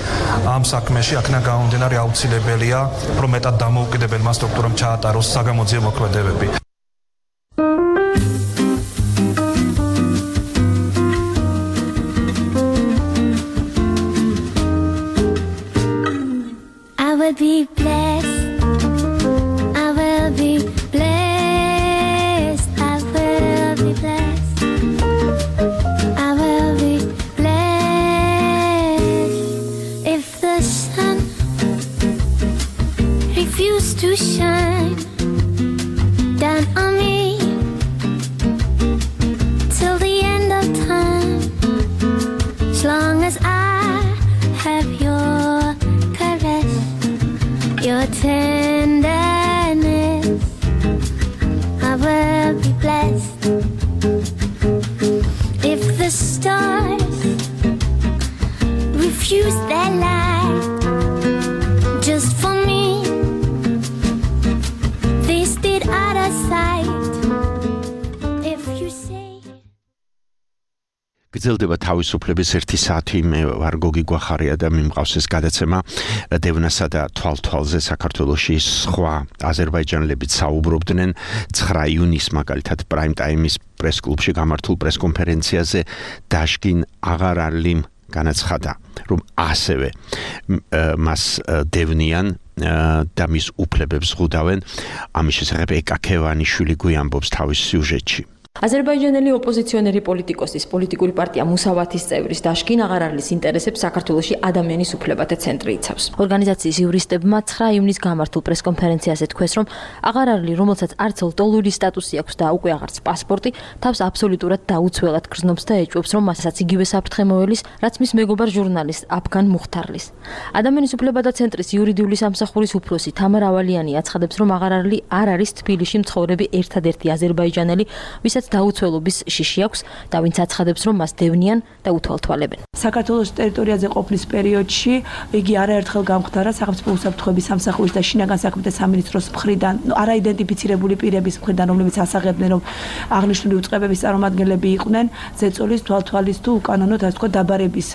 S18: ამ საქმეში, აქედან გამომდინარე აუცილებელია, რომ მეტად დამოუკიდებელმა სტრუქტურამ ჩაატაროს საგამოძიებო მოქმედებები.
S19: Be blessed. I will be blessed. I will be blessed. I will be blessed. refuse their life just for me. They stayed out of sight. If you say
S6: გრძელდება თავისუფლების 1 საათი. მე ვარ გოგი გვახარია და მიმყავს ეს გადაცემა დევნასა და თვალთვალზე საქართველოში სხვა აზერბაიჯანელებიც საუბრობდნენ 9 იუნის მაგალითად პრაიმ ტაიმის პრესკლუბში გამართულ პრესკონფერენციაზე დაშკინ აღარალიმ განაცხადა, რომ ასევე მას დევნიან და მის უფლებებს ზღუდავენ. ამის შესახებ ეკა ქევანიშვილი გვიამბობს თავის სიუჟეტში.
S10: აზერბაიჯანელი ოპოზიციონერი პოლიტიკოსის პოლიტიკური პარტია მუსავათის წევრის დაშკინ აღარალის ინტერესებს საქართველოში ადამიანის უფლებათა ცენტრი იცავს. ორგანიზაციის იურისტებმა 9 ივნისს გამართულ პრესკონფერენციაზე თქვეს, რომ აღარალი, რომელსაც არც ლტოლვილი სტატუსი აქვს და უკვე აღარც პასპორტი, თავს აბსოლუტურად დაუცველად გრძნობს და ეჭვობს, რომ მასაც იგივე საფრთხემოელის, რაც მის მეგობარ ჟურნალისტ აფგან მუხთარლის. ადამიანის უფლებათა ცენტრის იურიდიული სამსახურის უფროსი თამარ ავალიანი აცხადებს, რომ აღარალი არ არის თბილისში მცხოვრები ერთადერთი აზერბაიჯანელი, ვისაც დაუცველობის შიში აქვს და ვინც აცხადებს, რომ მას დევნიან და უთვალთვალებენ.
S20: საქართველოს ტერიტორიაზე ყოფნის პერიოდში იგი არაერთხელ გამხდარა სახელმწიფო უსაფრთხოების სამსახურის და შინაგან საქმეთა სამინისტროს მხრიდან არაიდენტიფიცირებული პირების მხრიდან, რომლებიც ასაღებდნენ, რომ აღნიშნული უწყებების წარმომადგენლები იყვნენ ზეწოლის, თვალთვალის თუ უკანონოდ ასე ვთქვათ დაბარების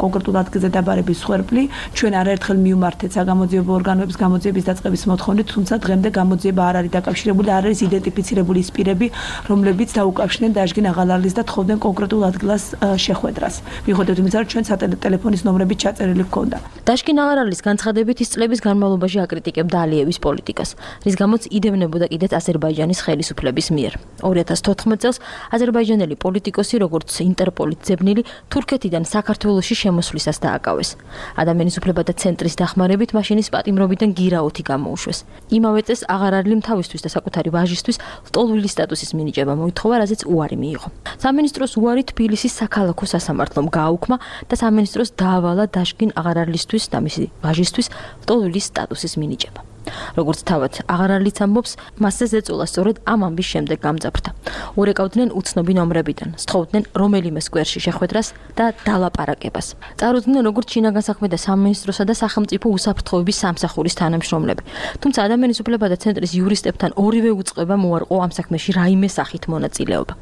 S20: კონკრეტულ ადგილზე დაბარების სხვერპლი. ჩვენ არაერთხელ მივმართეთ საგამოძიებო ორგანოების გამოძიების დაწყების მოთხოვნით, თუმცა დღემდე გამოძიება არ არის დაკავშირებული, არ არის იდენტიფიცირებული ის პირები, რომლებიც დაუკავშირდნენ დაშკინ აღარალის და თხოვდნენ კონკრეტულ ადგილას შეხვედრას. მიუხედავად იმისა, რომ ჩვენ სატელეფონის ნომრებით ჩაწერილი ჰქონდა.
S10: დაშკინ აღარალის განცხადებით ის წლების განმავლობაში აკრიტიკებდა ალიევის პოლიტიკას, რის გამოც იდევნებოდა კიდეც აზერბაიჯანის ხელისუფლების მიერ. 2014 წელს აზერბაიჯანელი პოლიტიკოსი, როგორც ინტერპოლის ძებნილი, თურქეთიდან საქართველოში შემოსვლისას დააკავეს. ადამიანის უფლებათა ცენტრის დახმარებით მაშინის პატიმრობიდან გირაოთი გამოუშვეს. იმავე წელს აღარალიმ თავისთვის და საკუთარი ვაჟისთვის ლტოლვილი სტატუსის მინიჭება მოითხოვა, რაზეც უარი მიიღო. სამინისტროს უარი თბილისის საქალაქო სასამართლომ გააუქმა და სამინისტროს დაავალა დაშკინ აღარალისთვის და მისი ვაჟისთვის ლტოლვილის სტატუსის მინიჭება. როგორც თავად აღარალიც ამბობს, მასზე ზეწოლა სწორედ ამ ამბის შემდეგ გამძაფრდა. ურეკავდნენ უცნობი ნომრებიდან, სთხოვდნენ რომელიმე სკვერში შეხვედრას და დალაპარაკებას. წარუდგნენ როგორც შინაგან საქმეთა სამინისტროსა და სახელმწიფო უსაფრთხოების სამსახურის თანამშრომლები. თუმცა ადამიანის უფლებათა ცენტრის იურისტებთან ორივე უწყებამ უარყო ამ საქმეში რაიმე სახით მონაწილეობა.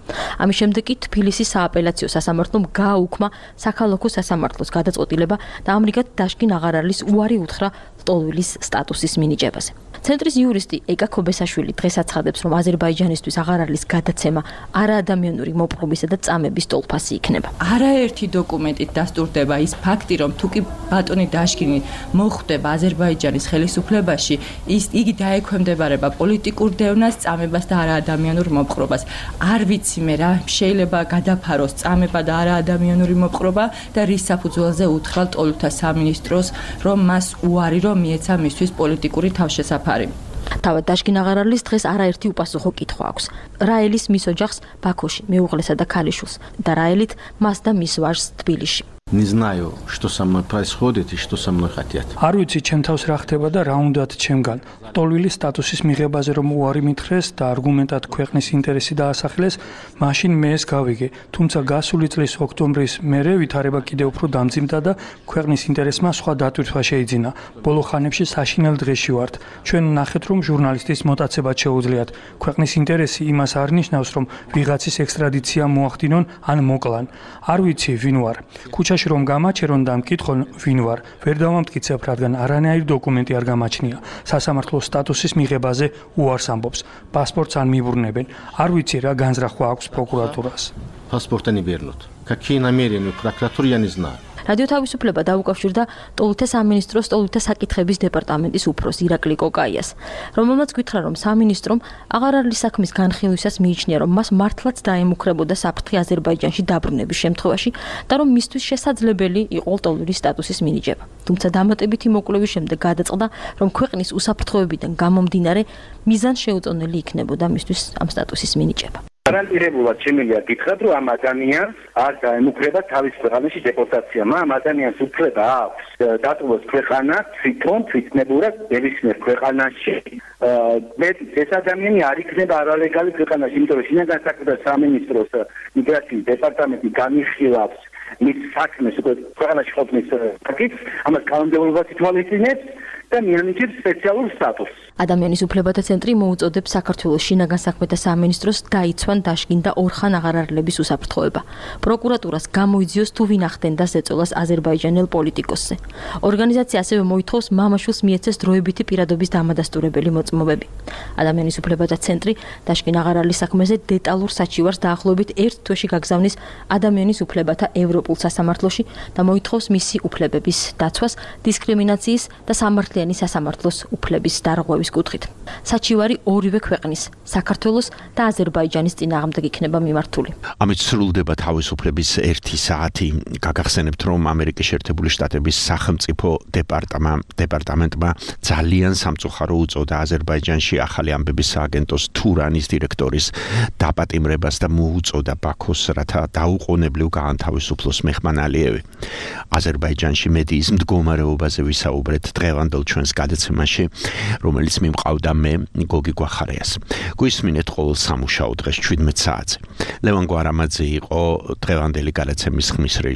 S10: ამის შემდეგ კი თბილისის სააპელაციო სასამართლომ გააუქმა საქალაქო სასამართლოს გადაწყვეტილება და ამრიგად დაშკინ აღარალის უარი უთხრა ლტოლვილის სტატუსის მინიჭებაზე. ცენტრის იურისტი ეკა ქობესაშვილი დღეს აცხადებს, რომ აზერბაიჯანისთვის აღარალის გადაცემა არაადამიანური მოპყრობისა და წამების ტოლფასი იქნება.
S21: არაერთი დოკუმენტით დასტურდება ის ფაქტი, რომ თუ კი ბატონი დაშკინი მოხვდება აზერბაიჯანის ხელისუფლებაში, იგი დაექვემდებარება პოლიტიკურ დევნას, წამებას და არაადამიანურ მოპყრობას. არ ვიცი მე რა შეიძლება გადაფაროს წამება და არაადამიანური მოპყრობა და რის საფუძველზე უთხრა ლტოლვილთა სამინისტროს, რომ მას უარი რომ მიეცა მისთვის პოლიტიკური თავშესაფარი.
S10: თავად დაშკინ აღარალის დღეს არაერთი უპასუხო კითხვა აქვს. რაელის მის ოჯახს ბაქოში, მეუღლესა და ქალიშვილს და რაელით მას და მის ვაჟს თბილისში.
S22: Не знаю, что со мной происходит и что со мной хотят.
S23: არ ვიცი ჩემ თავს რა ხდება და რა უნდათ ჩემგან. ლტოლვილის სტატუსის მიღებაზე რომ უარი მითხრეს და არგუმენტად ქვეყნის ინტერესი დაასახელეს, მაშინ მე ეს გავიგე. თუმცა გასული წლის ოქტომბრის მერე ვითარება კიდევ უფრო დამძიმდა და ქვეყნის ინტერესმა სხვა დატვირთვა შეიძინა. ბოლო ხანებში საშინელ დღეში ვართ. ჩვენ ნახეთ რომ ჟურნალისტის მოტაცებაც შეუძლიათ. ქვეყნის ინტერესი იმას არ ნიშნავს რომ ვიღაცის ექსტრადიცია მოახდინონ ან მოკლან. არ ვიცი ვინ ვარ. ქუჩაში რომ გამაჩერონ და მკითხონ ვინ ვარ, ვერ დავამტკიცებ, რადგან არანაირი დოკუმენტი არ გამაჩნია. სასამართლოს სტატუსის მიღებაზე უარს ამბობს. პასპორტს არ მიბრუნებენ. არ ვიცი რა განზრახვა აქვს პროკურატურას.
S22: Паспорта не вернут. Какие намерения у прокуратуры, я не знаю.
S10: რადიო თავისუფლება დაუკავშირდა ლტოლვილთა სამინისტროს ლტოლვილთა საკითხების დეპარტამენტის უფროს ირაკლი კოკაიას, რომელმაც გითხრა, რომ სამინისტრომ აღარალის საქმის განხილვისას მიიჩნია, რომ მას მართლაც დაემუქრებოდა საფრთხე აზერბაიჯანში დაბრუნების შემთხვევაში და რომ მისთვის შესაძლებელი იყო ლტოლვილის სტატუსის მინიჭება. თუმცა დამატებითი მოკვლევის შემდეგ გადაწყდა, რომ ქვეყნის უსაფრთხოებიდან გამომდინარე მიზანშეუწონელი იქნებოდა მისთვის ამ სტატუსის მინიჭება.
S24: გარანტირებულად შემიძლია გითხრათ, რომ ამ ადამიანს არ დაემუქრება თავის ქვეყანაში დეპორტაცია. ამ ადამიანს უფლება აქვს დატოვოს ქვეყანა თვითნებურად ნებისმიერ ქვეყანაში. ეს ადამიანი არ იქნება არალეგალი ქვეყანაში, იმიტომ რომ შინაგან საქმეთა სამინისტროს მიგრაციის დეპარტამენტი განიხილავს მის საქმეს უკვე ქვეყანაში ყოფნის ფაქტს, ამას კანონმდებლობა ითვალისწინებს და მიანიჭებს სპეციალურ სტატუსს.
S10: ადამიანის უფლებათა ცენტრი მოუწოდებს საქართველოს შინაგან საქმეთა სამინისტროს დაიცვან დაშგინ და ორხან აღარარლების უსაფრთხოება. პროკურატურას გამოიძიოს თუ ვინ ახდენდა ზეწოლას აზერბაიჯანელ პოლიტიკოსზე. ორგანიზაცია ასევე მოითხოვს მამაშვილს მიეცეს დროებითი პირადობის დამადასტურებელი მოწმობები. ადამიანის უფლებათა ცენტრი დაშგინ აღარარლის საქმეზე დეტალურ საჩივარს დაახლოებით 1 თვეში გაგზავნის ადამიანის უფლებათა ევროპულ სასამართლოში და მოითხოვს მისი უფლებების დაცვას, დისკრიმინაციის და სამართლიანი სასამართლოს უფლების დარღვევის კუთხით. საჩივარი ორივე ქვეყნის, საქართველოს და აზერბაიჯანის წინააღმდეგ იქნება მიმართული.
S6: ამით სრულდება თავისუფლების 1 საათი. გაგახსენებთ, რომ ამერიკის შეერთებული შტატების სახელმწიფო დეპარტამენტმა ძალიან სამწუხარო უწოდა აზერბაიჯანში ახალი ამბების სააგენტოს თურანის დირექტორის დაპატიმრებას და მოუწოდა ბაქოს, რათა დაუყოვნებლივ გაანთავისუფლოს მეჰმან ალიევი. აზერბაიჯანში მედიის მდგომარეობაზე ვისაუბრეთ დღევანდელ ჩვენს გადაცემაში, რომელიც მიმყავდა მე გოგი გვახარიას. გვისმინეთ ყოველ სამუშაო დღეს 17 საათზე. ლევან გვარამაძე იყო დღევანდელი გადაცემის ხმის რეჟისორი.